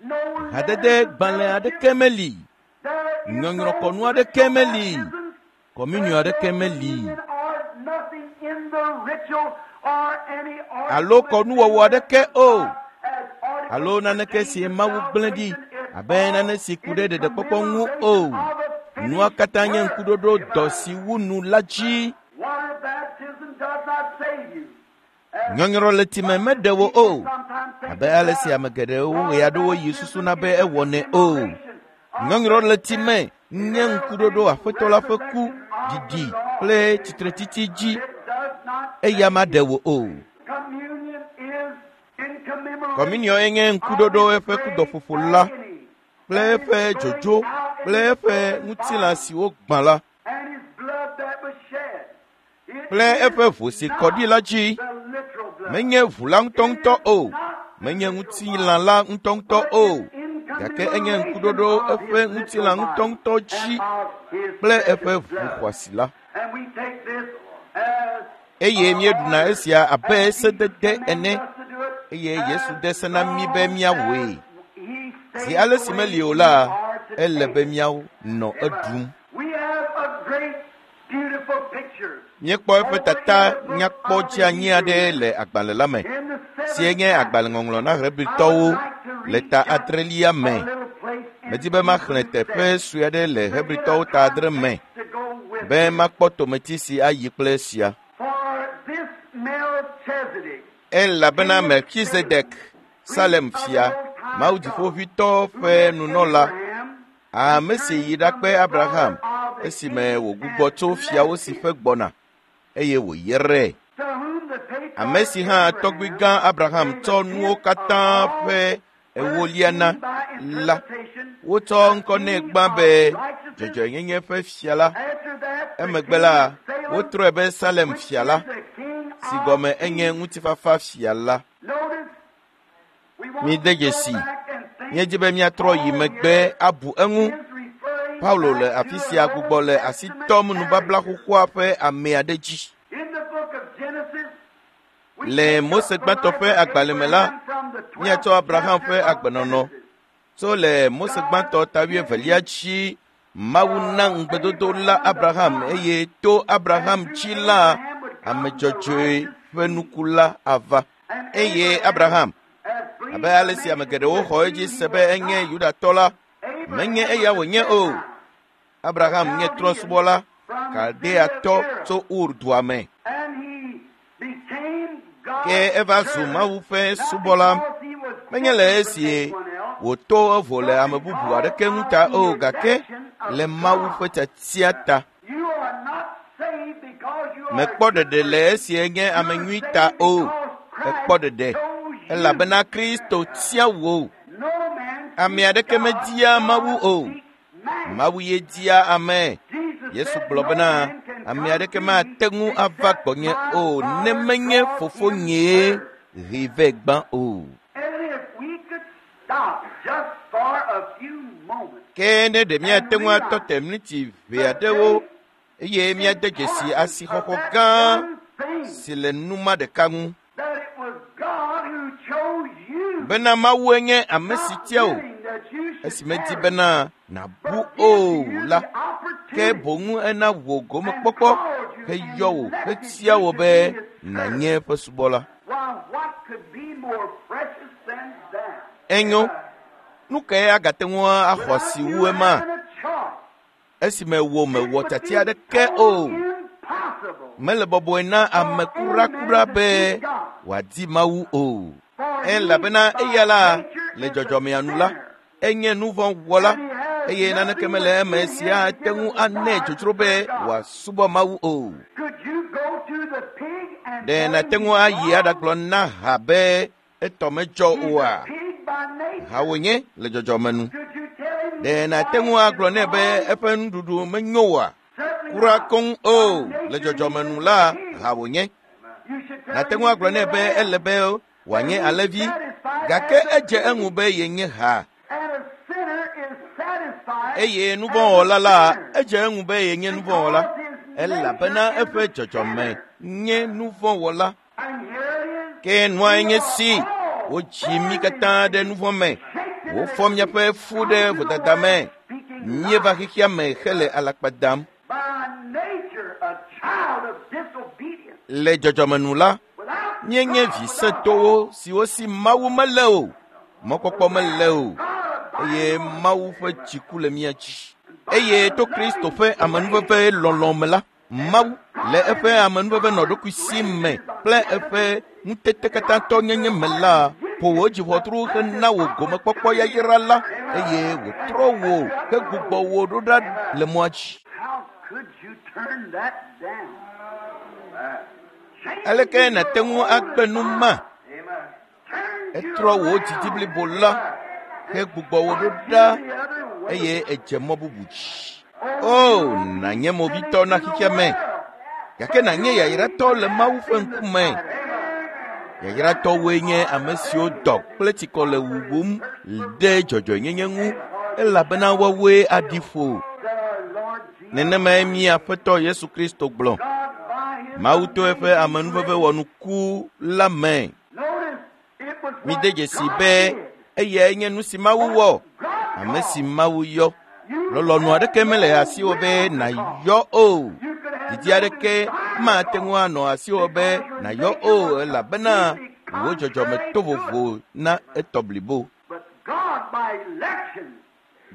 no Hadede letters of gbalẽ fellowship. aɖeke meli. There is no Nyɔnyrɔkɔnu aɖeke ritual meli. baptisms. Kɔminiɔ There's aɖeke no meli. communion or nothing in the ritual or any Alo article that's been kɔnuwɔwɔ left aɖeke o. aside as articles Alo naneke pertaining si to Mawu gblẽ ɖi salvation. It's abe all nane si ku in ɖe ɖeɖekpɔkpɔ ŋu o. commemoration of a Nua finished katã nye work. ŋkuɖoɖo dɔ si wu nu la dzi. Water baptism does not save you. As Nyɔnyrɔ le tsi me much as meɖe wò people o. sometimes think Abe it ale si does, ame geɖewo water ɣeaɖewoɣi baptism susuna be is a ewɔnɛ o. commemoration of Nyɔnyrɔ the le tsi death, me nye burial, ŋkuɖoɖo and Aƒetɔ la ƒe ku, resurrection of the ɖiɖi Lord kple tsitretsitsi dzi, eya maɖe wò o. Kɔminiɔ enye ŋkuɖoɖo eƒe kudɔƒoƒo la kple eƒe dzodzo kple eƒe ŋutilã si wogbã la kple eƒe ʋu si kɔ ɖi la dzi. Menye ʋu la ŋutɔŋutɔ o, menye ŋutilã la ŋutɔŋutɔ o, gake enye ŋkuɖoɖo eƒe ŋutilã ŋutɔŋutɔ dzi kple eƒe ʋu xɔasi la. Eye míeɖuna esia abe sedede ene, eye Yesu de se na mí be míawɔe. Zi ale si meli o la, ele be míanɔ eɖum. Míekpɔ eƒe tata nyakpɔ dzeanyi aɖe le agbalẽ la me, si nye agbalẽŋɔŋlɔ na Hebritɔwo le ta adrelia me. Medi be maxlẽ teƒe sue aɖe le Hebritɔwo ta adre me be makpɔ tometi si ayi kple esia. Elabena Melkizedek, Salem fia, Mawu Dziƒoʋĩtɔ ƒe nunɔla, ame si yi ɖakpe Abraham esime wògbugbɔ tso fiawo si ƒe gbɔna, eye wòyrae. Ame si hã tɔgbui gã Abraham tsɔ nuwo katã ƒe ewolia na la, wotsɔ ŋkɔ nɛ gbã be dzɔdzɔenyenye ƒe fia la. Emegbe la, wotrɔe be Salem fia la, si gɔme enye ŋutifafa fia la. Mide dzesi, míedi be míatrɔ yi megbe abu eŋu. Paulo le afi sia gbugbɔ le asi tɔm nubabla xoxoa ƒe ame aɖe dzi. Le Mose gbãtɔ ƒe agbalẽ me la, míatsɔ Abraham ƒe agbenɔnɔ tso le Mose gbãtɔ ta wuievelia dzi. Mawu na ŋugbedodo la Abraham eye to Abraham dzi la, ame dzɔdzɔe ƒe nuku la ava. Eye Abraham, abe ale si ame geɖewo xɔ edzi se be enye Yudatɔ la, menye eya wònye o. Abraham nye trɔ̃subɔla Kaldeatɔ tso Ur dua me. Ke eva zu Mawu ƒe subɔla, menye le esi wòto evo le ame bubu aɖeke ŋu ta o, gake le Mawu ƒe tiatia ta. Mekpɔ ɖeɖe le esi enye ame nyui ta o, ekpɔ ɖeɖe elabena Kristo tia wò. Ame aɖeke media Mawu o. Mawu ye dia ame. Yesu gblɔ bena, ame aɖeke mate ŋu ava gbɔnye o ne menye fofonyee hee vɛ gbã o. Ke ne ɖe míate ŋu atɔ te miniti ʋɛ aɖewo eye míade dzesi asixɔxɔ gã si le nu ma ɖeka ŋu. Bena Mawue nye ame si tia wò, esi medi bena nàbu o la, ke boŋ ena wò gomekpɔkpɔ heyɔ wò hetia wò be nànye eƒe subɔla. Enyo, nu kae agate ŋu axɔ asi wu ema? Esime wò mewɔ tiatia aɖeke o. Mele bɔbɔe na ame kurakura be wòadi Mawu o. Elabena eya la, le dzɔdzɔmea nu la, enye nu vɔ̃ wɔla eye naneke mele eme si ate ŋu anɛ dzodzro be wòasubɔ Mawu o. Ɖe nàte ŋu ayi aɖagblɔ na ha be etɔ medzɔ oa? Ha wònye le dzɔdzɔme nu. Ɖe nàte ŋu agblɔ nɛ be eƒe nuɖuɖu menyo oa? Kura koŋ o, le dzɔdzɔme nu la, ha wònye. Nàte ŋu agblɔ nɛ be ele be wòanye alẽvi, gake edze eŋu be yenye ha. Eye nuvɔ̃wɔla la, edze eŋu be yenye nuvɔ̃wɔla, elabena eƒe dzɔdzɔme nye nuvɔ̃wɔla. Ke nua nye si, wodzi mí katã ɖe nuvɔ̃ me, wofɔ míaƒe fu ɖe vodada me, míeva xexea me hele alakpa dam. Le dzɔdzɔme nu la, míenye vi sẽtowo siwo si Mawu mele o, mɔkpɔkpɔ mele o, eye Mawu ƒe dziku le mía dzi. Eye to Kristo ƒe amenuveve lɔlɔ̃ me la, Mawu le eƒe amenuveve nɔ ɖokui si me kple eƒe ŋutete katãtɔ nyenye me la, ƒo wò dziʋɔtru hena wò gomekpɔkpɔ yayra la, eye wòtrɔ wò hegbugbɔ wò ɖo ɖa le mɔa dzi. Aleke nàte ŋu agbe nu ma? Etrɔ wò didi blibo la hegbugbɔ wò ɖo ɖa eye edze mɔ bubu dzi. O, nànye movitɔ na xexea me, gake nànye yayratɔ le Mawu ƒe ŋkume. Yayratɔwoe nye ame siwo dɔ kple tsikɔ le wuwum ɖe dzɔdzɔenyenye ŋu elabena woawoe aɖi ƒo. Nenemae mía Aƒetɔ Yesu Kristo gblɔ. Mawu to eƒe amenuveve wɔnuku la me. Mide dzesi be eyae nye nu si Mawu wɔ, ame si Mawu yɔ. Lɔlɔ̃nu aɖeke mele asiwò be nàyɔ o. Didi aɖeke mate ŋu anɔ asiwò be nàyɔ o elabena wò dzɔdzɔme to vovo na etɔ blibo.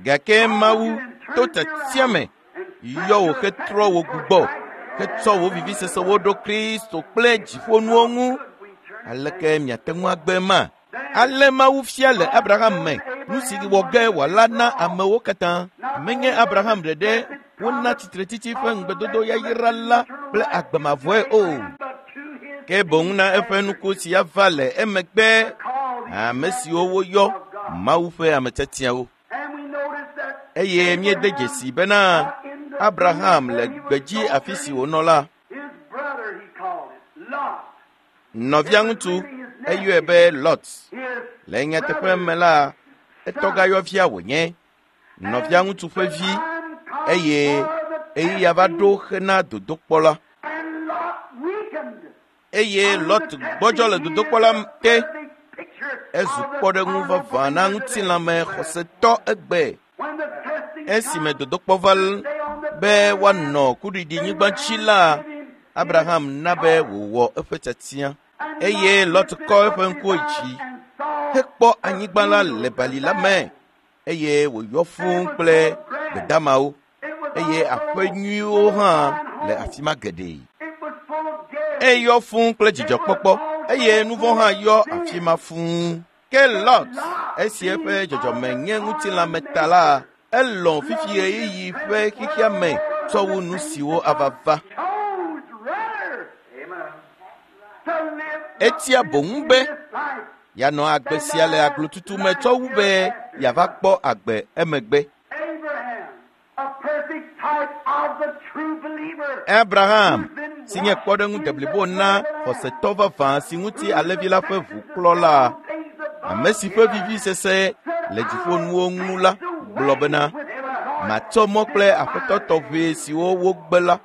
Gake Mawu to tiatia me yɔ wò hetrɔ wò gbugbɔ hetsɔ wò vivisesewo ɖo Kristo kple dziƒonuwo ŋu. Aleke miate ŋu agbe ma? Ale Mawu fia le Abraham me nu si wɔ ge wòala na amewo katã. Menye Abraham ɖeɖe wona tsitretsitsi ƒe ŋugbedodo yayra la kple agbe mavɔe o. Ke boŋ na eƒe nuku si ava le emegbe ame siwo woyɔ Mawu ƒe ame tiatiawo. Eye míede dzesi bena Abraham le gbedzi afi si wònɔ la, nɔvia ŋutsu eyɔe be Lot. Le nyateƒe me la, etɔgayɔvia wònye, nɔvia ŋutsu ƒe vi, eye ɣeyiɣia va ɖo hena dodokpɔ la. Eye Lot gbɔdzɔ le dodokpɔ la te. Ezu kpɔɖeŋu vavã na ŋutilãme xɔsetɔ egbe. Esime dodokpɔ va be woanɔ kuɖiɖinyigba dzi la, Abraham na be wòwɔ eƒe tiatia eye Lot kɔ eƒe ŋkuwo dzi hekpɔ anyigba la le bali la me eye wòyɔ fũu kple gbedamawo eye aƒe nyuiwo hã le afi ma geɖe. Eyɔ fũu kple dzidzɔkpɔkpɔ eye nu vɔ̃ hã yɔ afi ma fũu. Ke Lot, esi eƒe dzɔdzɔme nye ŋutilãme ta la, elɔ̃ fifi ɣeyiɣi ƒe xexea me tsɔ wu nu siwo ava va. Etia boŋ be yeanɔ agbe sia le aglotutu me tsɔ wu be yeava kpɔ agbe emegbe. Abraham, si nye kpɔɖeŋu deblibo na xɔsetɔ vavã si ŋuti alẽvi la ƒe ʋu klɔ la, ame si ƒe vivisese le dziƒonuwo ŋu la gblɔ bena, matsɔ mɔ kple aƒetɔ tɔxɛ siwo wogbe la.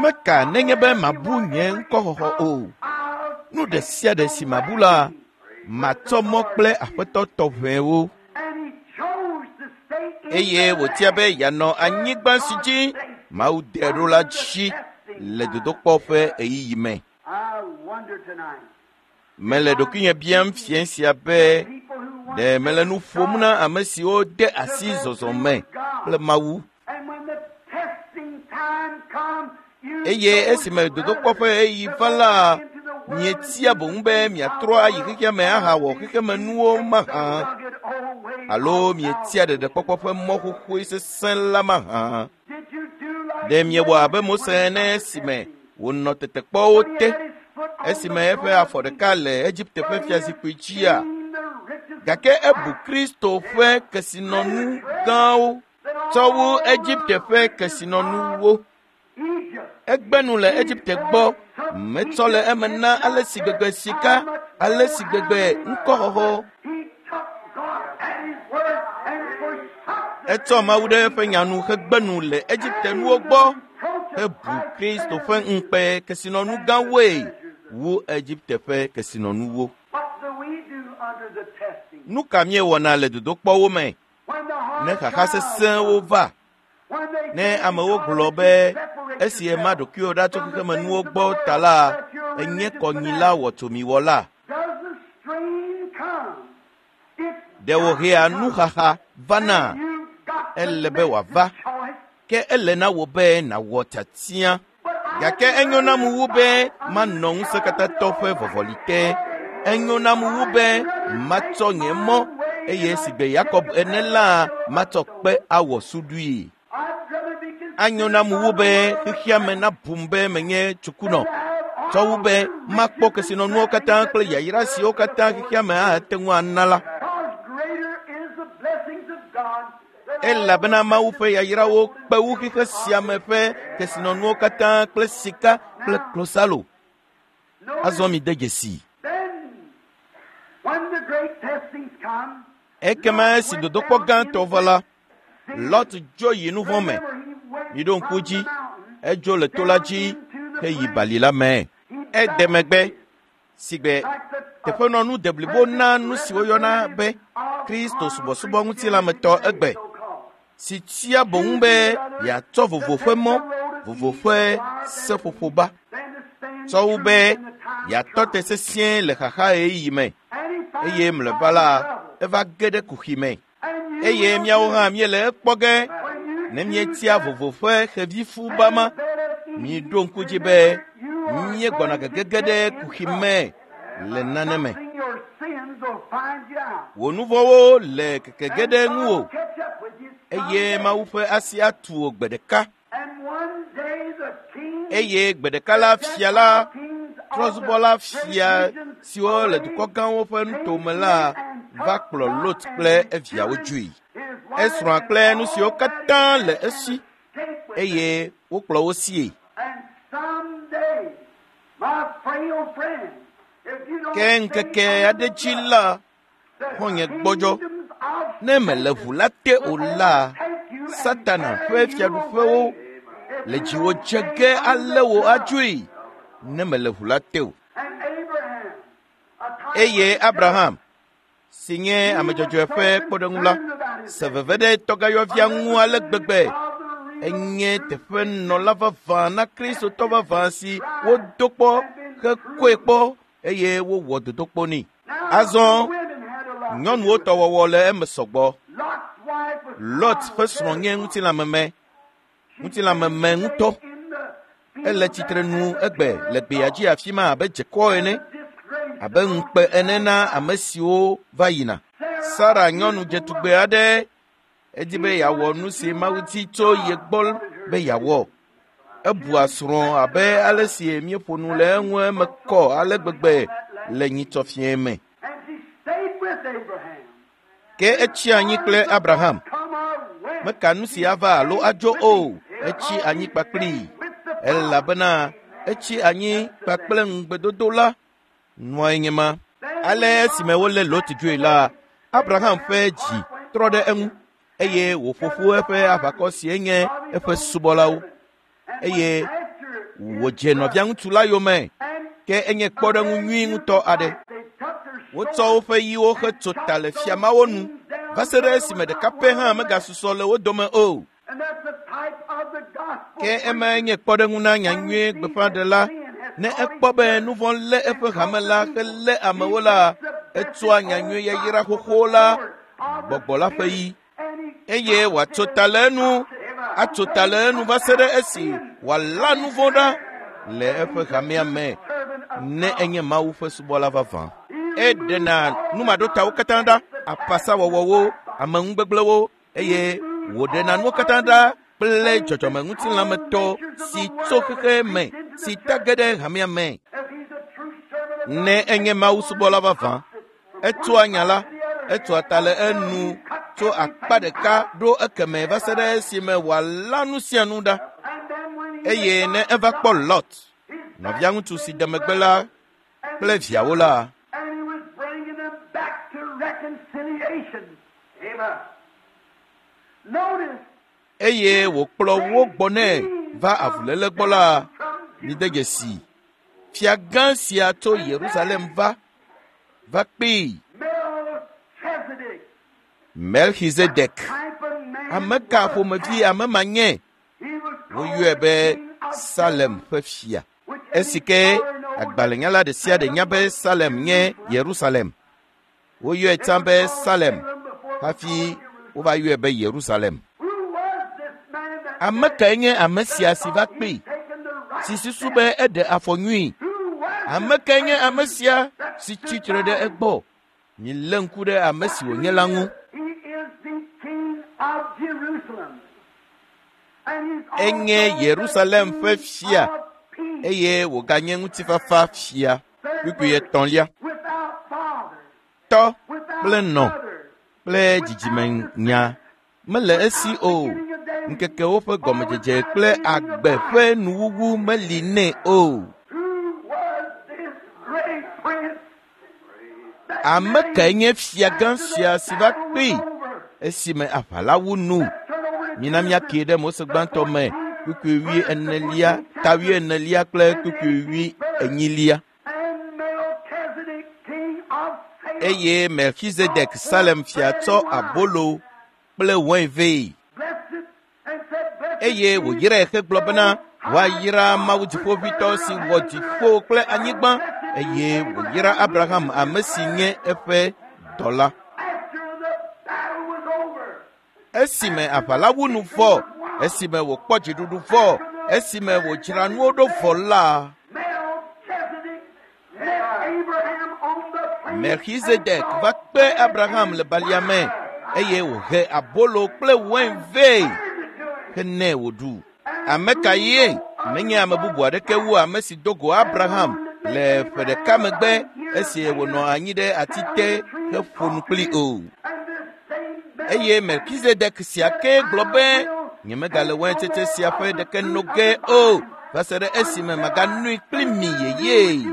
Meka nenye be mabu nye ŋkɔxɔxɔ o. Nu ɖe sia ɖe si mabu la, matsɔ mɔ kple aƒetɔ tɔxɛwo. Eye wòtia be yeanɔ anyigba si dzi Mawu de ɖo la dzi le dodokpɔ ƒe ɣeyiɣi me. Mele ɖokuinye biam fiẽ sia be ɖe mele nu ƒom na ame siwo de asi zɔzɔ me kple Mawu. Eye esime dodokpɔ ƒe ɣeyiɣi va la, mietia boŋ be miatrɔ ayi xexea me ahawɔ xexemenuwo mahã, alo mietia ɖeɖekpɔkpɔ ƒe mɔ xoxoe sesẽ la mahã. Ɖe miewɔ abe Mose ene esime wònɔ tetekpɔwo te, esime eƒe afɔ ɖeka le Egipte ƒe fiazikpui dzia? Gake ebu Kristo ƒe kesinɔnu gãwo tsɔ wu Egipte ƒe kesinɔnuwo. Egbe nu le Egipte gbɔ, metsɔ le eme na ale si gbegbe sika, ale si gbegbe ŋkɔxɔxɔ. Etsɔ Mawu ɖe eƒe nya nu hegbe nu le Egipte nuwo gbɔ hebu Kristo ƒe ŋukpe kesinɔnu gãwoe wu Egipte ƒe kesinɔnuwo. Nu ka míewɔna le dodokpɔwo me ne xaxa sesẽwo va? Ne amewo gblɔ be esi ema ɖokuiwò ɖa tso xexemenuwo gbɔ ta la, ènye kɔnyila wɔtsomiwɔla. Ɖe wòhea nuxaxa vana? Ele be wòava. Ke ele na wò be nàwɔ tiatia. Gake enyo nam wu be manɔ ŋusẽkatãtɔ ƒe vɔvɔli te. Enyo nam wu be matsɔ nye mɔ eye sigbe Yakob ene la, matsɔ kpe awɔ suɖui. Anyo nam wu be xexea me nabum be menye tsukunɔ, tsɔ wu be makpɔ kesinɔnuwo katã kple yayra siwo katã xexea me ate ŋu ana la. Elabena Mawu ƒe yayrawo kpe wu xexe sia me ƒe kesinɔnuwo katã kple sika kple klosalo. Azɔ mide dzesii. Ekema esi dodokpɔ gãtɔ va la, Lot dzo yi nu vɔ̃ me. Miɖo ŋku dzi, edzo le to la dzi heyi bali la me. Ede megbe sigbe teƒenɔnu deblibo na nu si woyɔna be Kristo subɔsubɔ ŋutilãmetɔ egbe, si tia boŋ be yeatsɔ vovo ƒe mɔ, vovo ƒe seƒoƒo ba, tsɔ wu be yeatɔ te sesĩe le xaxa ɣeyiɣi me, eye mlɔeba la, eva ge ɖe kuxi me. Eye míawo hã míele ekpɔ ge ne míetia vovo ƒe xevifu ba ma. Miɖo ŋku dzi be míegbɔna gegege ɖe kuxi me le nane me. Wò nu vɔ̃wo le keke ge ɖe ŋuwò, eye Mawu ƒe asi atu wò gbe ɖeka. Eye gbe ɖeka la fia la, trɔ̃subɔla fia siwo le dukɔ gãwo ƒe nutome la va kplɔ Lot kple eviawo dzoe. Esrɔ̃a kple nu siwo katã le esi, eye wokplɔ wo sie. Ke ŋkeke aɖe dzi la, xɔ̃nye gbɔdzɔ. Ne mele ʋu la te o la, Satana ƒe fiaɖuƒewo le dziwò dze ge alé wò adzoe ne mele ʋu la te o. Eye Abraham, si nye ame dzɔdzɔe ƒe kpɔɖeŋu la, se veve ɖe tɔgãyɔvia ŋu ale gbegbe. Enye teƒenɔla vavã na Kristotɔ vavã si wodo kpɔ hekɔe kpɔ eye wowɔ dodokpɔ nɛ. Azɔ nyɔnuwo tɔ wɔwɔ le eme sɔgbɔ. Lot ƒe srɔ̃ nye ŋutilãmeme, ŋutilãmeme ŋutɔ. Ele tsitre nu egbe le gbea dzi afi ma abe dzekɔ ene, abe ŋukpe ene na ame siwo va yina. Sara nyɔnu dzetugbe aɖe edi be yeawɔ nu si Mawu di tso ye gbɔ be yeawɔ. Ebua srɔ̃ abe ale si míeƒo nu le eŋu eme kɔ ale gbegbe le nyitsɔfiẽ me. Ke etsi anyi kple Abraham. Meka nu si ava alo adzo o, etsi anyi kpakplii. Elabena etsi anyi kpakple ŋugbedodo la, nua nye ma. Ale esime wolé Lot dzoe la, Abraham ƒe dzi trɔ ɖe eŋu eye wòƒo ƒu eƒe aʋakɔ sie nye eƒe subɔlawo, eye wòdze nɔviaŋutsu la yome. Ke enye kpɔɖeŋu nyui ŋutɔ aɖe. Wotsɔ woƒe yiwo hetso ta le fia mawo nu va se ɖe esime ɖeka pɛ hã megasusɔ le wo dome o. Ke emae nye kpɔɖeŋu na nyanyui gbeƒãɖela. Ne ekpɔ be nu vɔ̃ lé eƒe hame la helé amewo la, etsɔa nyanyui yayra xoxo la, gbɔgbɔ la ƒe yi, eye wòatso ta le enu, atso ta le enu va se ɖe esi wòalã nu vɔ̃ ɖa le eƒe hamea me ne enye Mawu ƒe subɔla vavã. Eɖena numaɖotawo katã ɖa, apasawɔwɔwo, ameŋugbegblẽwo, eye wòɖena nuwo katã ɖa kple dzɔdzɔmeŋutilãmetɔ si tso xexe me si ta ge ɖe hamea me. Ne enye Mawu subɔla vavã, etsoa nya la, etsoa ta le enu tso akpa ɖeka ɖo ekeme va se ɖe esime wòalã nu sia nu ɖa. Eye ne eva kpɔ Lot, nɔviaŋutsu si de megbe la kple viawo la, eye wòkplɔ wo gbɔ nɛ va avuléle gbɔ la, mide dzesi fia gã sia tso Yerusalem va va kpee. Melchizedek, ame ka ƒomevi ame ma nye? Woyɔe be Salem ƒe fia. Esi ke agbalẽnyala ɖe sia ɖe nya be Salem nye Yerusalem. Woyɔe tsã be Salem hafi wova yɔe be Yerusalem. Ame kae nye ame sia si va kpee, si susu be eɖe afɔ nyui? Ame kae nye ame sia si tsitre ɖe egbɔ? Milé ŋku ɖe ame si wònye la ŋu. Enye Yerusalem ƒe fia eye wòganye ŋutifafa fia. Kpukpui etɔ̃lia. Tɔ kple nɔ kple dzidzimenya mele esi o. Ŋkekewo ƒe gɔmedzedze kple agbe ƒe nuwuwu meli nɛ o. Ame kae nye fiagã sia si va kpee esime aʋa la wu nu? Mina míakee ɖe Mose gbãtɔ me kpukpui wuienelia, ta wuienelia kple kpukpui wuienyilia. Eye Melchizedek Salem fia tsɔ abolo kple wain vɛ. Eye wòyrae hegblɔ bena woayra Mawu Dziƒoʋĩtɔ si wɔ dziƒo kple anyigba eye wòyra Abraham ame si nye eƒe dɔla. Esime aʋa la wu nu vɔ, esime wòkpɔ dziɖuɖu vɔ, esime wòdzra nuwo ɖo vɔ la, Melchizedek va kpe Abraham le balia me eye wòhe abolo kple wain vɛ henɛ wòɖu. Ame ka ye? Menye ame bubu aɖeke wu ame si do go Abraham le ƒe ɖeka megbe esi wònɔ anyi ɖe ati te heƒo nu kpli o. Eye Melchizedek sia ke gblɔ be, nyemegale waintsetse sia ƒe ɖeke no ge o va se ɖe esime maganoe kpli mi yeyee.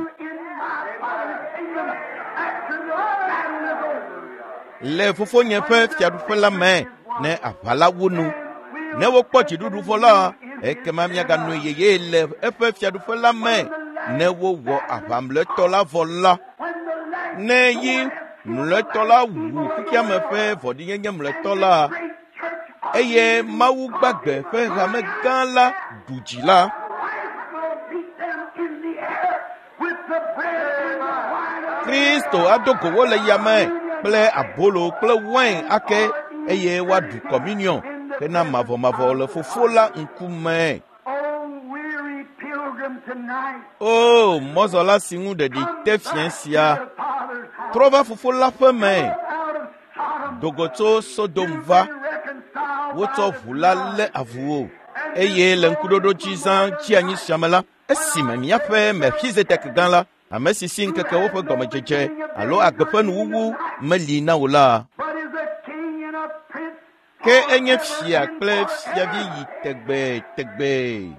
Le fofonye ƒe fiaɖuƒe la me ne aʋa la wu nu. Ne wokpɔ dziɖuɖu vɔ la, ekema míaganoe yeyee le eƒe fiaɖuƒe la me ne wowɔ aʋa mlɔetɔ la vɔ la. Ne yi mlɔetɔ la wu xexeame ƒe vɔ̃ɖinyenye mlɔetɔ la, eye Mawu gbagbe ƒe hame gã la ɖu dzi la, Kristo ado go wo le yame kple abolo kple wain ake eye woaɖu kɔminiɔn hena mavɔmavɔ le Fofo la ŋkume. O mɔzɔla si ŋu ɖeɖi te fiẽ sia, trɔ va Fofo la ƒe me. Do go tso Sodom va, wotsɔ ʋu la lé avu wò eye le ŋkuɖoɖo dzi zã tsi anyi sia me la, esime míaƒe Melchizedek gã la, ame si si ŋkekewo ƒe gɔmedzedze alo agbe ƒe nuwuwu meli na wò la, ke enye fia kple fiavi yi tegbee tegbee.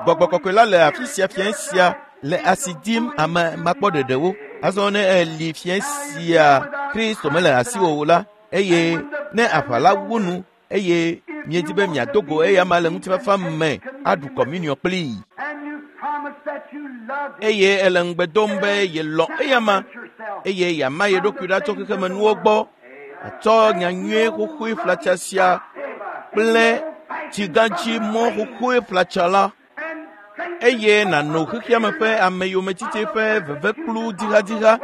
Gbɔgbɔ kɔkɔe la le afi sia fiẽ sia le asi dim ame makpɔɖeɖewo. Azɔ ne eli fiẽ sia Kristo mele asiwò o la, eye ne aʋa la wu nu eye miedi be miado go eyama le ŋutifafa me aɖu kɔmuniɔ kplii. Eye ele ŋugbe dom be yelɔ̃ eyama eye yeama ye ɖokui ɖa tso xexemenuwo gbɔ, atsɔ nyanyuie xoxoe flatsa sia kple tsigãdzi mɔ xoxoe flatsa la eye nàno xexeame ƒe ameyometiti ƒe vevekplu dzixadzixa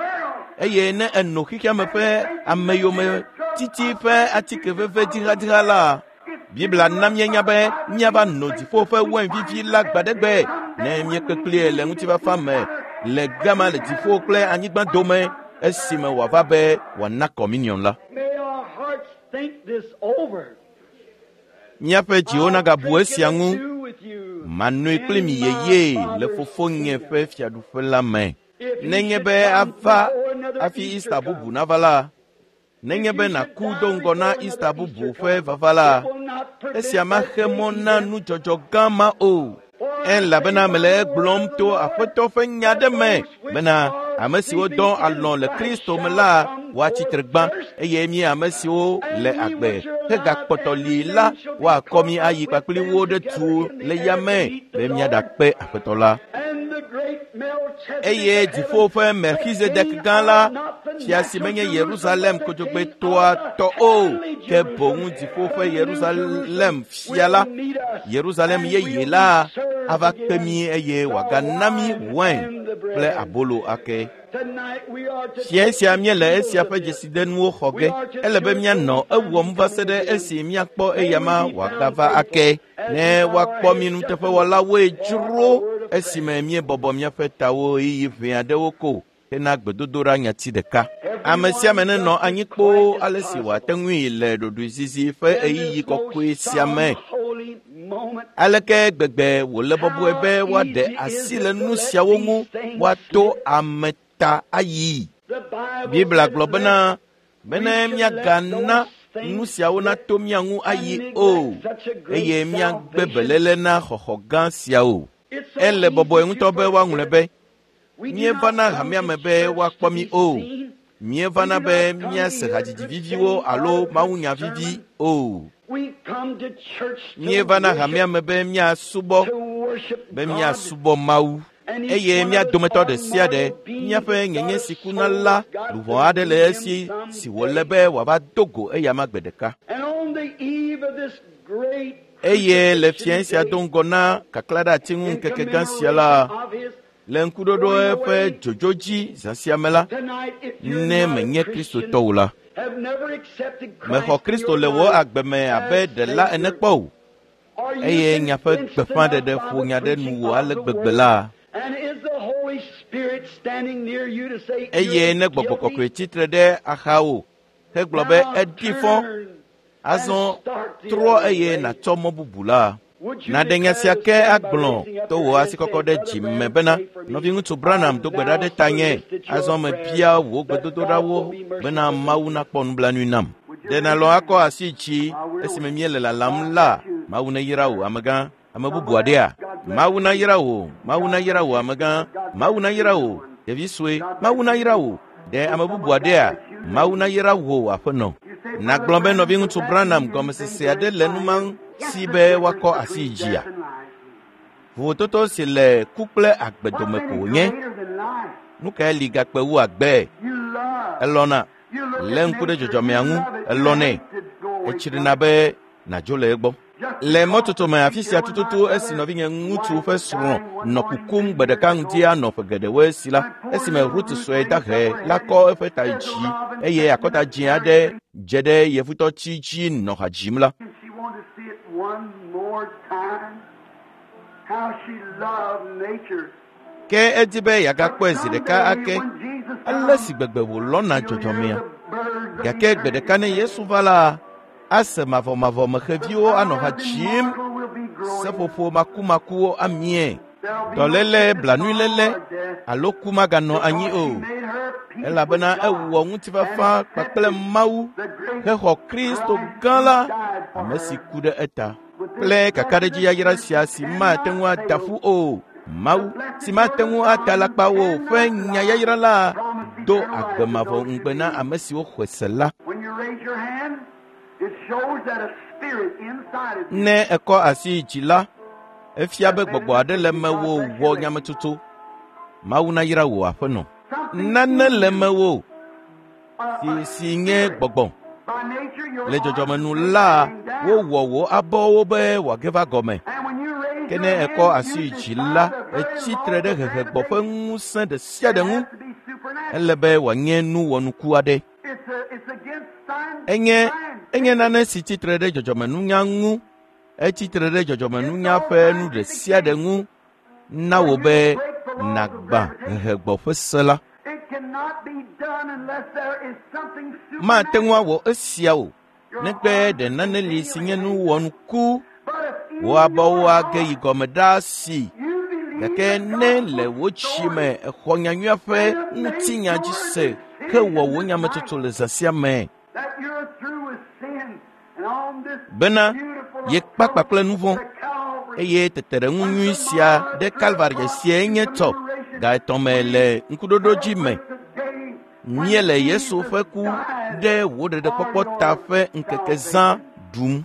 eye ne èno xexeame ƒe ameyometiti ƒe atike veve dzixadzixa la, Biblia na míenya be míava no dziƒo ƒe wain vivi la gbaɖegbe ne míekpe kplie le ŋutifafa me le gama le dziƒo kple anyigba dome esime wòava be wòana kɔminiɔn la. Míaƒe dziwo nagabu esia ŋu. Manoe kpli mi yeyee le fofonye ƒe fiaɖuƒe la me. Nenye be ava hafi Easter bubu nava la, nenye be nàku do ŋgɔ na Easter bubu ƒe vava la, esia maxe mɔ na nudzɔdzɔ gã ma o. Elabena mele egblɔm to Aƒetɔ ƒe nya ɖe me bena ame siwo dɔ alɔ̃ le Kristo me la woatsi tre gbã eye mí ame siwo le agbe hegakpɔtɔ li la woakɔ mí ayi kpakpli wo ɖe tu le yame be míaɖakpe Aƒetɔ la. Eye dziƒo ƒe Melchizedek gã la, fia si menye Yerusalem kodzogbetoa tɔ o, ke boŋ dziƒo ƒe Yerusalem fia la, Yerusalem yeye la, ava kpe mí eye wòagana mí wain kple abolo ake. Fiẽ sia míele esia ƒe dzesidenuwo xɔ ge. Ele be míanɔ ewɔm va se ɖe esi míakpɔ eyama wòagava ake. Ne woakpɔ mí nuteƒewɔlawoe dzro esime míebɔbɔ míaƒe tawo ɣeyiɣi ʋɛ aɖewo ko hena gbedodoɖa nyati ɖeka. Ame sia ame nenɔ anyi kpoo ale si wòate ŋui le ɖoɖoezizi ƒe ɣeyiɣi kɔkɔe sia me. Aleke gbegbe wòle bɔbɔe be woaɖe asi le nu siawo ŋu woato ame ta ayi. Biblia gblɔ bena bene míagana nu siawo nato mía ŋu ayi o eye míagbe beléle na xɔxɔ gã siawo. Ele bɔbɔe ŋutɔ be woaŋlɔe be míevana hamea me be woakpɔ mí o. Míevana be míase hadzidzi viviwo alo mawunya vivi o. Míevana hamea me be míasubɔ, be míasubɔ Mawu. Eye mía dometɔ ɖe sia ɖe, míaƒe nyenye si kuna la, luʋɔ aɖe le esi si wòle be wòava do go eyama gbe ɖeka. Eye le fiẽ sia do ŋgɔ na kaklaɖeati ŋu ŋkeke gã sia la, le ŋkuɖoɖo eƒe dzodzo dzi zã sia me la, ne menye Kristotɔ o la, mexɔ Kristo le wò agbe me abe ɖela ene kpɔ o, eye nyaƒe gbeƒãɖeɖe ƒo nya ɖe nuwò ale gbegbe la, eye ne gbɔgbɔ kɔkɔe tsitre ɖe axawò hegblɔ be eɖi fɔ, azɔ trɔ eye nàtsɔ mɔ bubu la. Nàɖe nya sia ke agblɔ to wò asikɔkɔ ɖe dzi me bena nɔviŋutsu Branham do gbe ɖa ɖe tanye. Azɔ mebia wò gbedodoɖawo bena Mawu nakpɔ nublanui nam. Ɖe nàlɔ̃ akɔ asi dzi esime míele lalam la? Mawu neyra wò amegã. Ame bubu aɖea? Mawu nayra wò. Mawu nayra wò amegã. Mawu nayra wò. Ɖevi sue. Mawu nayra wò. Ɖe ame bubu aɖea? Mawu nayra wò aƒenɔ. Nàgblɔ be nɔviŋutsu Branham gɔmesese aɖe le nu ma si be woakɔ asi dzia? Vovototo si le ku kple agbe dome ko wònye. Nu kae li gakpe wu agbe? Elɔ̃na lé ŋku ɖe dzɔdzɔmea ŋu, elɔ̃nɛ, etsrina be nàdzo le egbɔ. Le mɔtoto me afi sia tututu esi nɔvinye ŋutsu ƒe srɔ̃ nɔ kukum gbe ɖeka ŋdi anɔ ƒe geɖewo esi la, esime Ruth sue dahe la kɔ eƒe ta dzi eye akɔta dzĩ aɖe dze ɖe yevutɔtsi dzi nɔ ha dzim la, She wanted to see it one more time. How she loved nature. ke edi be yeagakpɔe zi ɖeka ake ale si gbegbe wòlɔ̃na dzɔdzɔmea. Gake gbe ɖeka ne Yesu va la, ase mavɔmavɔ me xeviwo anɔ ha dzim, seƒoƒo makumakuwo amie, dɔléle, blanuiléle alo ku maganɔ anyi o, elabena ewɔ ŋutifafa kpakple Mawu hexɔ Kristo gã la, ame si ku ɖe eta. Kple kakaɖedzi yayra sia si mate ŋu ada ƒu o, Mawu si mate ŋu ada alakpa o ƒe nya yayra la do agbe mavɔ ŋugbe na ame siwo xɔe se la. When you raise your hand, it shows that a spirit inside of you. Ne èkɔ asi dzi la, efia be gbɔgbɔ aɖe le mewò wɔ nyametsotso. Mawu nayra wò aƒenɔ. Nane le mewò si nye gbɔgbɔ. By nature, your Le dzɔdzɔmenu la, wowɔ wò abɔwo be wòage va gɔme. And when you raise Ke ne your èkɔ hand, asi you dzi defy la, the very etsi law tre ɖe of hehegbɔ ƒe gravitation. ŋusẽ ɖe sia ɖe It ŋu. has to be supernatural. Ele be wòanye nu wɔnuku aɖe. It's against science. Enye science. enye nane si tsitre ɖe dzɔdzɔmenunya ŋu. Etsitre ɖe dzɔdzɔmenunya ƒe nu ɖe sia ɖe ŋu na wò be nàgbã hehegbɔ ƒe se la. It cannot be done unless there is something Mate ŋu supernatural. awɔ esia o negbe ɖe nane li si nye nu wɔnuku. But if in Wò abɔwo your age yi heart gɔme ɖaa si. you believe Gake that ne God le wò dzi me exɔ nyanyuia ƒe ŋutinya dzi se hewɔ wò nyametsotso le zã sia me that you're through with sin and on this bena beautiful yekpa kpakple nu vɔ̃ to Calvary, eye teteɖeŋu nyui sia ɖe Kalvari siae nye tɔ ga etɔ̃ me le ŋkuɖoɖo dzi me. today Míele Yesu ƒe ku ɖe wò ɖeɖekpɔkpɔ ta ƒe ŋkeke zã ɖum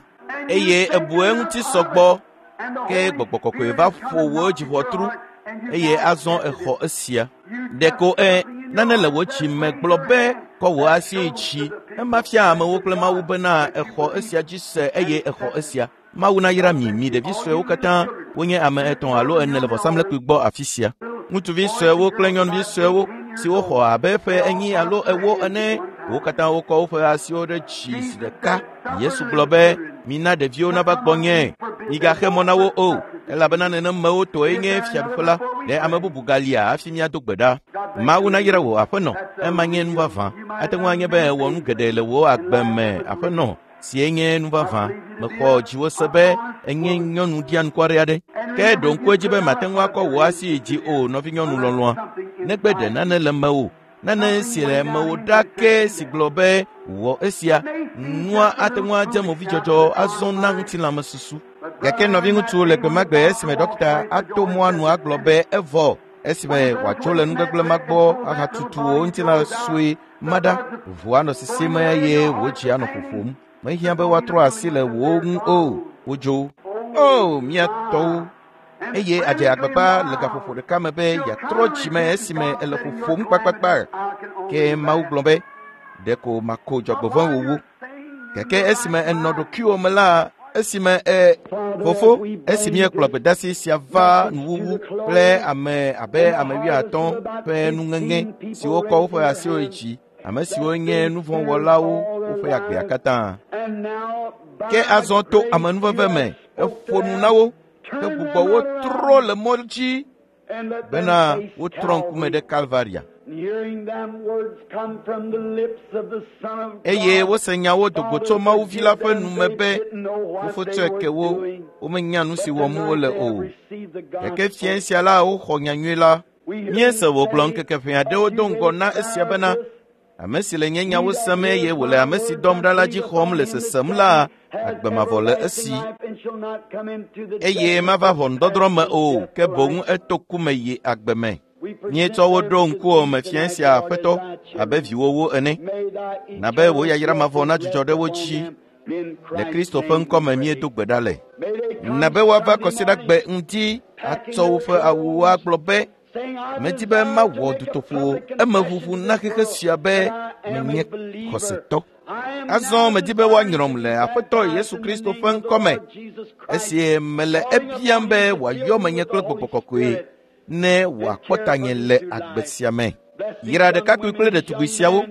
eye ebu eŋuti sɔgbɔ and the ke Holy gbɔgbɔ kɔkɔe Spirit va come ƒo and wò knock at your dziʋɔtru heart and you eye can't azɔ accept it. exɔ esia. You Ɖeko just e something in nane your le wò heart dzi says, me raise gblɔ your be hand. kɔ wò That asi shows dzi. to the people Ema fia amewo that kple Mawu God bena that you exɔ believe esia dzi se eye and exɔ accept it. esia. Mawu nayra mi, mi ɖevi suewo katã wonye ame etɔ̃ alo ene le vɔsamlekpui gbɔ afi sia. Ŋutsuvi suewo kple nyɔnuvi suewo siwo xɔ abe ƒe enyi alo ewo ene, wo katã wokɔ woƒe asiwo ɖe dzi zi ɖeka. Yesu gblɔ be, mina ɖeviwo nava gbɔnye, migaxe mɔ na wo o, elabena nenemewo tɔe nye fiaɖuƒe la. Ɖe ame bubu galia hafi míado gbe ɖa. Mawu nayra wò aƒenɔ, ema nye nu vavã. Ate ŋu anye be èwɔ nu geɖe le wò agbe me aƒenɔ. sie nye nu vavã. Mexɔ dziwò se be enye nyɔnu ɖianukware aɖe. Ke ɖo ŋku edzi be mate ŋu akɔ wò asi yi dzi o, nɔvinyɔnu lɔlɔ̃a. Negbe ɖe nane le mewò, nane si le mewò ɖa ke si gblɔ be wɔ esia, nua ate ŋu adze movidzɔdzɔ azɔ na ŋutilãmesusu. Gake nɔviŋutsu le gbe ma gbe esime ɖɔkita ato mɔa nu agblɔ be evɔ esime wòatso le nugbegblẽ ma gbɔ ahatutu wò ŋutilã sue ma ɖa, ʋu anɔ sisim eye wò dzi anɔ ƒoƒom. Mehiã be woatrɔ asi le wò ŋu o, wodzo. O, mía tɔwo! Eye adze agbagba le gaƒoƒo ɖeka me be yeatrɔ dzime esime ele ƒoƒom kpakpakpa. Ke Mawu gblɔ be, ɖeko mako dzɔgbevɔ̃e wòwu. Gake esime enɔ ɖokuiwò me la, esime fofo, esi míekplɔ gbedeasi sia va nuwuwu kple ame abe ame 50 ƒe nuŋeŋe siwo kɔ woƒe asiwo yi dzi, ame siwo nye nuvɔ̃wɔlawo woƒe agbea katã. Ke azɔ to amenuveve me, eƒo nu na wo, ke gbugbɔ wo trɔ le mɔ dzi bena wotrɔ ŋkume ɖe Kalvaria. Eye wose nyawo do go tso Mawu Vi la ƒe nu me be fofo tsɔe ke wo, womenya nu si wɔm wole o. Gake fiẽ sia la woxɔ nyanyui la. Míese wògblɔ ŋkeke ʋɛ aɖewo do ŋgɔ na esia bena ame si le nye nyawo sem eye wòle ame si dɔm ɖa la dzi xɔm le sesem la, agbe mavɔ le esi. Eye mava ʋɔnudɔdrɔ̃ me o, ke boŋ eto ku me yi agbe me. Míetsɔ wo ɖo ŋkuwò me fiẽ sia Aƒetɔ abe viwòwo ene. Na be wò yayra mavɔ nadzudzɔ ɖe wo dzi. Le Kristo ƒe ŋkɔ me míedo gbe ɖa le. Na be woava kɔsiɖagbe ŋdi atsɔ woƒe awuwo agblɔ be medi be mawɔ dutoƒo emeʋuʋu na xexe sia be menye xɔsetɔ. Azɔ medi be woanyrɔm le Aƒetɔ Yesu Kristo ƒe ŋkɔ me esi mele ebiam be wòayɔ menye kple gbɔgbɔ kɔkɔe ne wòakpɔ tanye le agbe sia me. Yra ɖekakpui kple ɖetugbui siawo,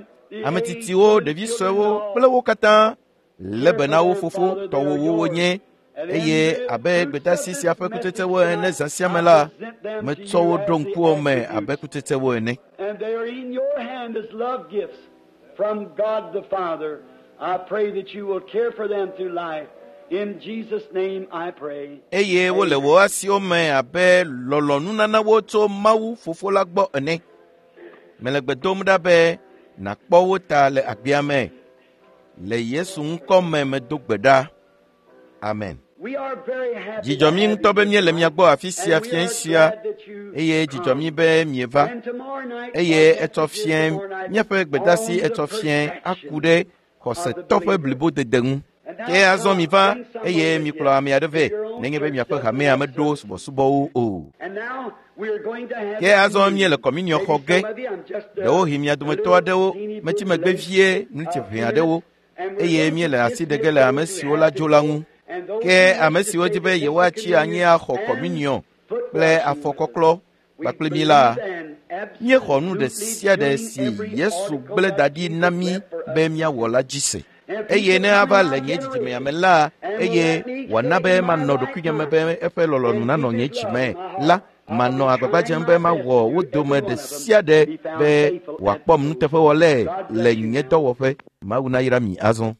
ame tsitsiwo, ɖevi suewo kple wo katã lé be na wo fofo tɔwòwo wonye eye abe gbedeasi sia ƒe kutsetsewo ene zã sia me la, metsɔ wo ɖo ŋkuwò me abe kutsetsewo ene. And they are in your hand as love gifts from God the Father. I pray that you will care for them through life. In Jesus' name I pray. Eye wole wò asiwo me abe lɔlɔ̃nunanawo tso Mawu Fofo la gbɔ ene. Mele gbe dom ɖa be nàkpɔ wo ta le agbea me. Le Yesu ŋkɔ me medo gbe ɖa. Amen. We are very happy Dzidzɔ mí ŋutɔ be míele mia gbɔ afi sia and we fiẽ are sia glad that you eye dzidzɔ come. mí be mieva. And tomorrow night, Eye our etsɔ message is fiẽ tomorrow night míaƒe gbedeasi on the etsɔ fiẽ aku perfection ɖe of the xɔsetɔ ƒe believer. blibodede ŋu. And now Ke azɔ come, mi va bring someone eye with mikplɔ you. ame aɖe vɛ If your own nenye be church miaƒe doesn't hamea have meɖo service. subɔsubɔwo o. And now we are going to have Ke azɔ míele communion. kɔminiɔ Maybe xɔ ge. some of you, I'm just Ɖewohĩ mia a dometɔ little aɖewo teeny metsi bit megbe late vie ŋuti a ʋɛ few aɖewo minutes, and we're eye going to míele asi ɖe ge dismiss le ame those who siwo la have to dzo la go ŋu. and those Ke who ame wish to siwo stay di be to take the yewoatsi anyi communion axɔ and kɔminiɔ foot kple washing with us. afɔkɔklɔ We kpakple mí la, believe and míexɔ nu ɖe absolutely sia ɖe doing si every Yesu article gblẽ that da ɖi na Jesus mí left for us be to míawɔ do. la dzi se. And if he Eye should ne come in ava my le nye dzidzimea generation me la, and will eye let me wòana stay be in my manɔ right ɖokuinye me mind be eƒe lɔlɔ̃nu and nanɔ keep nye his dzi love me in my la, heart, I'll manɔ be agbagba trying dzem my be best mawɔ to wo do dome every ɖe one of them sia to ɖe be found be faithful at wòakpɔm the close. nuteƒewɔlae God le bless you nye now. dɔwɔƒe. Mawu nayra mi azɔ.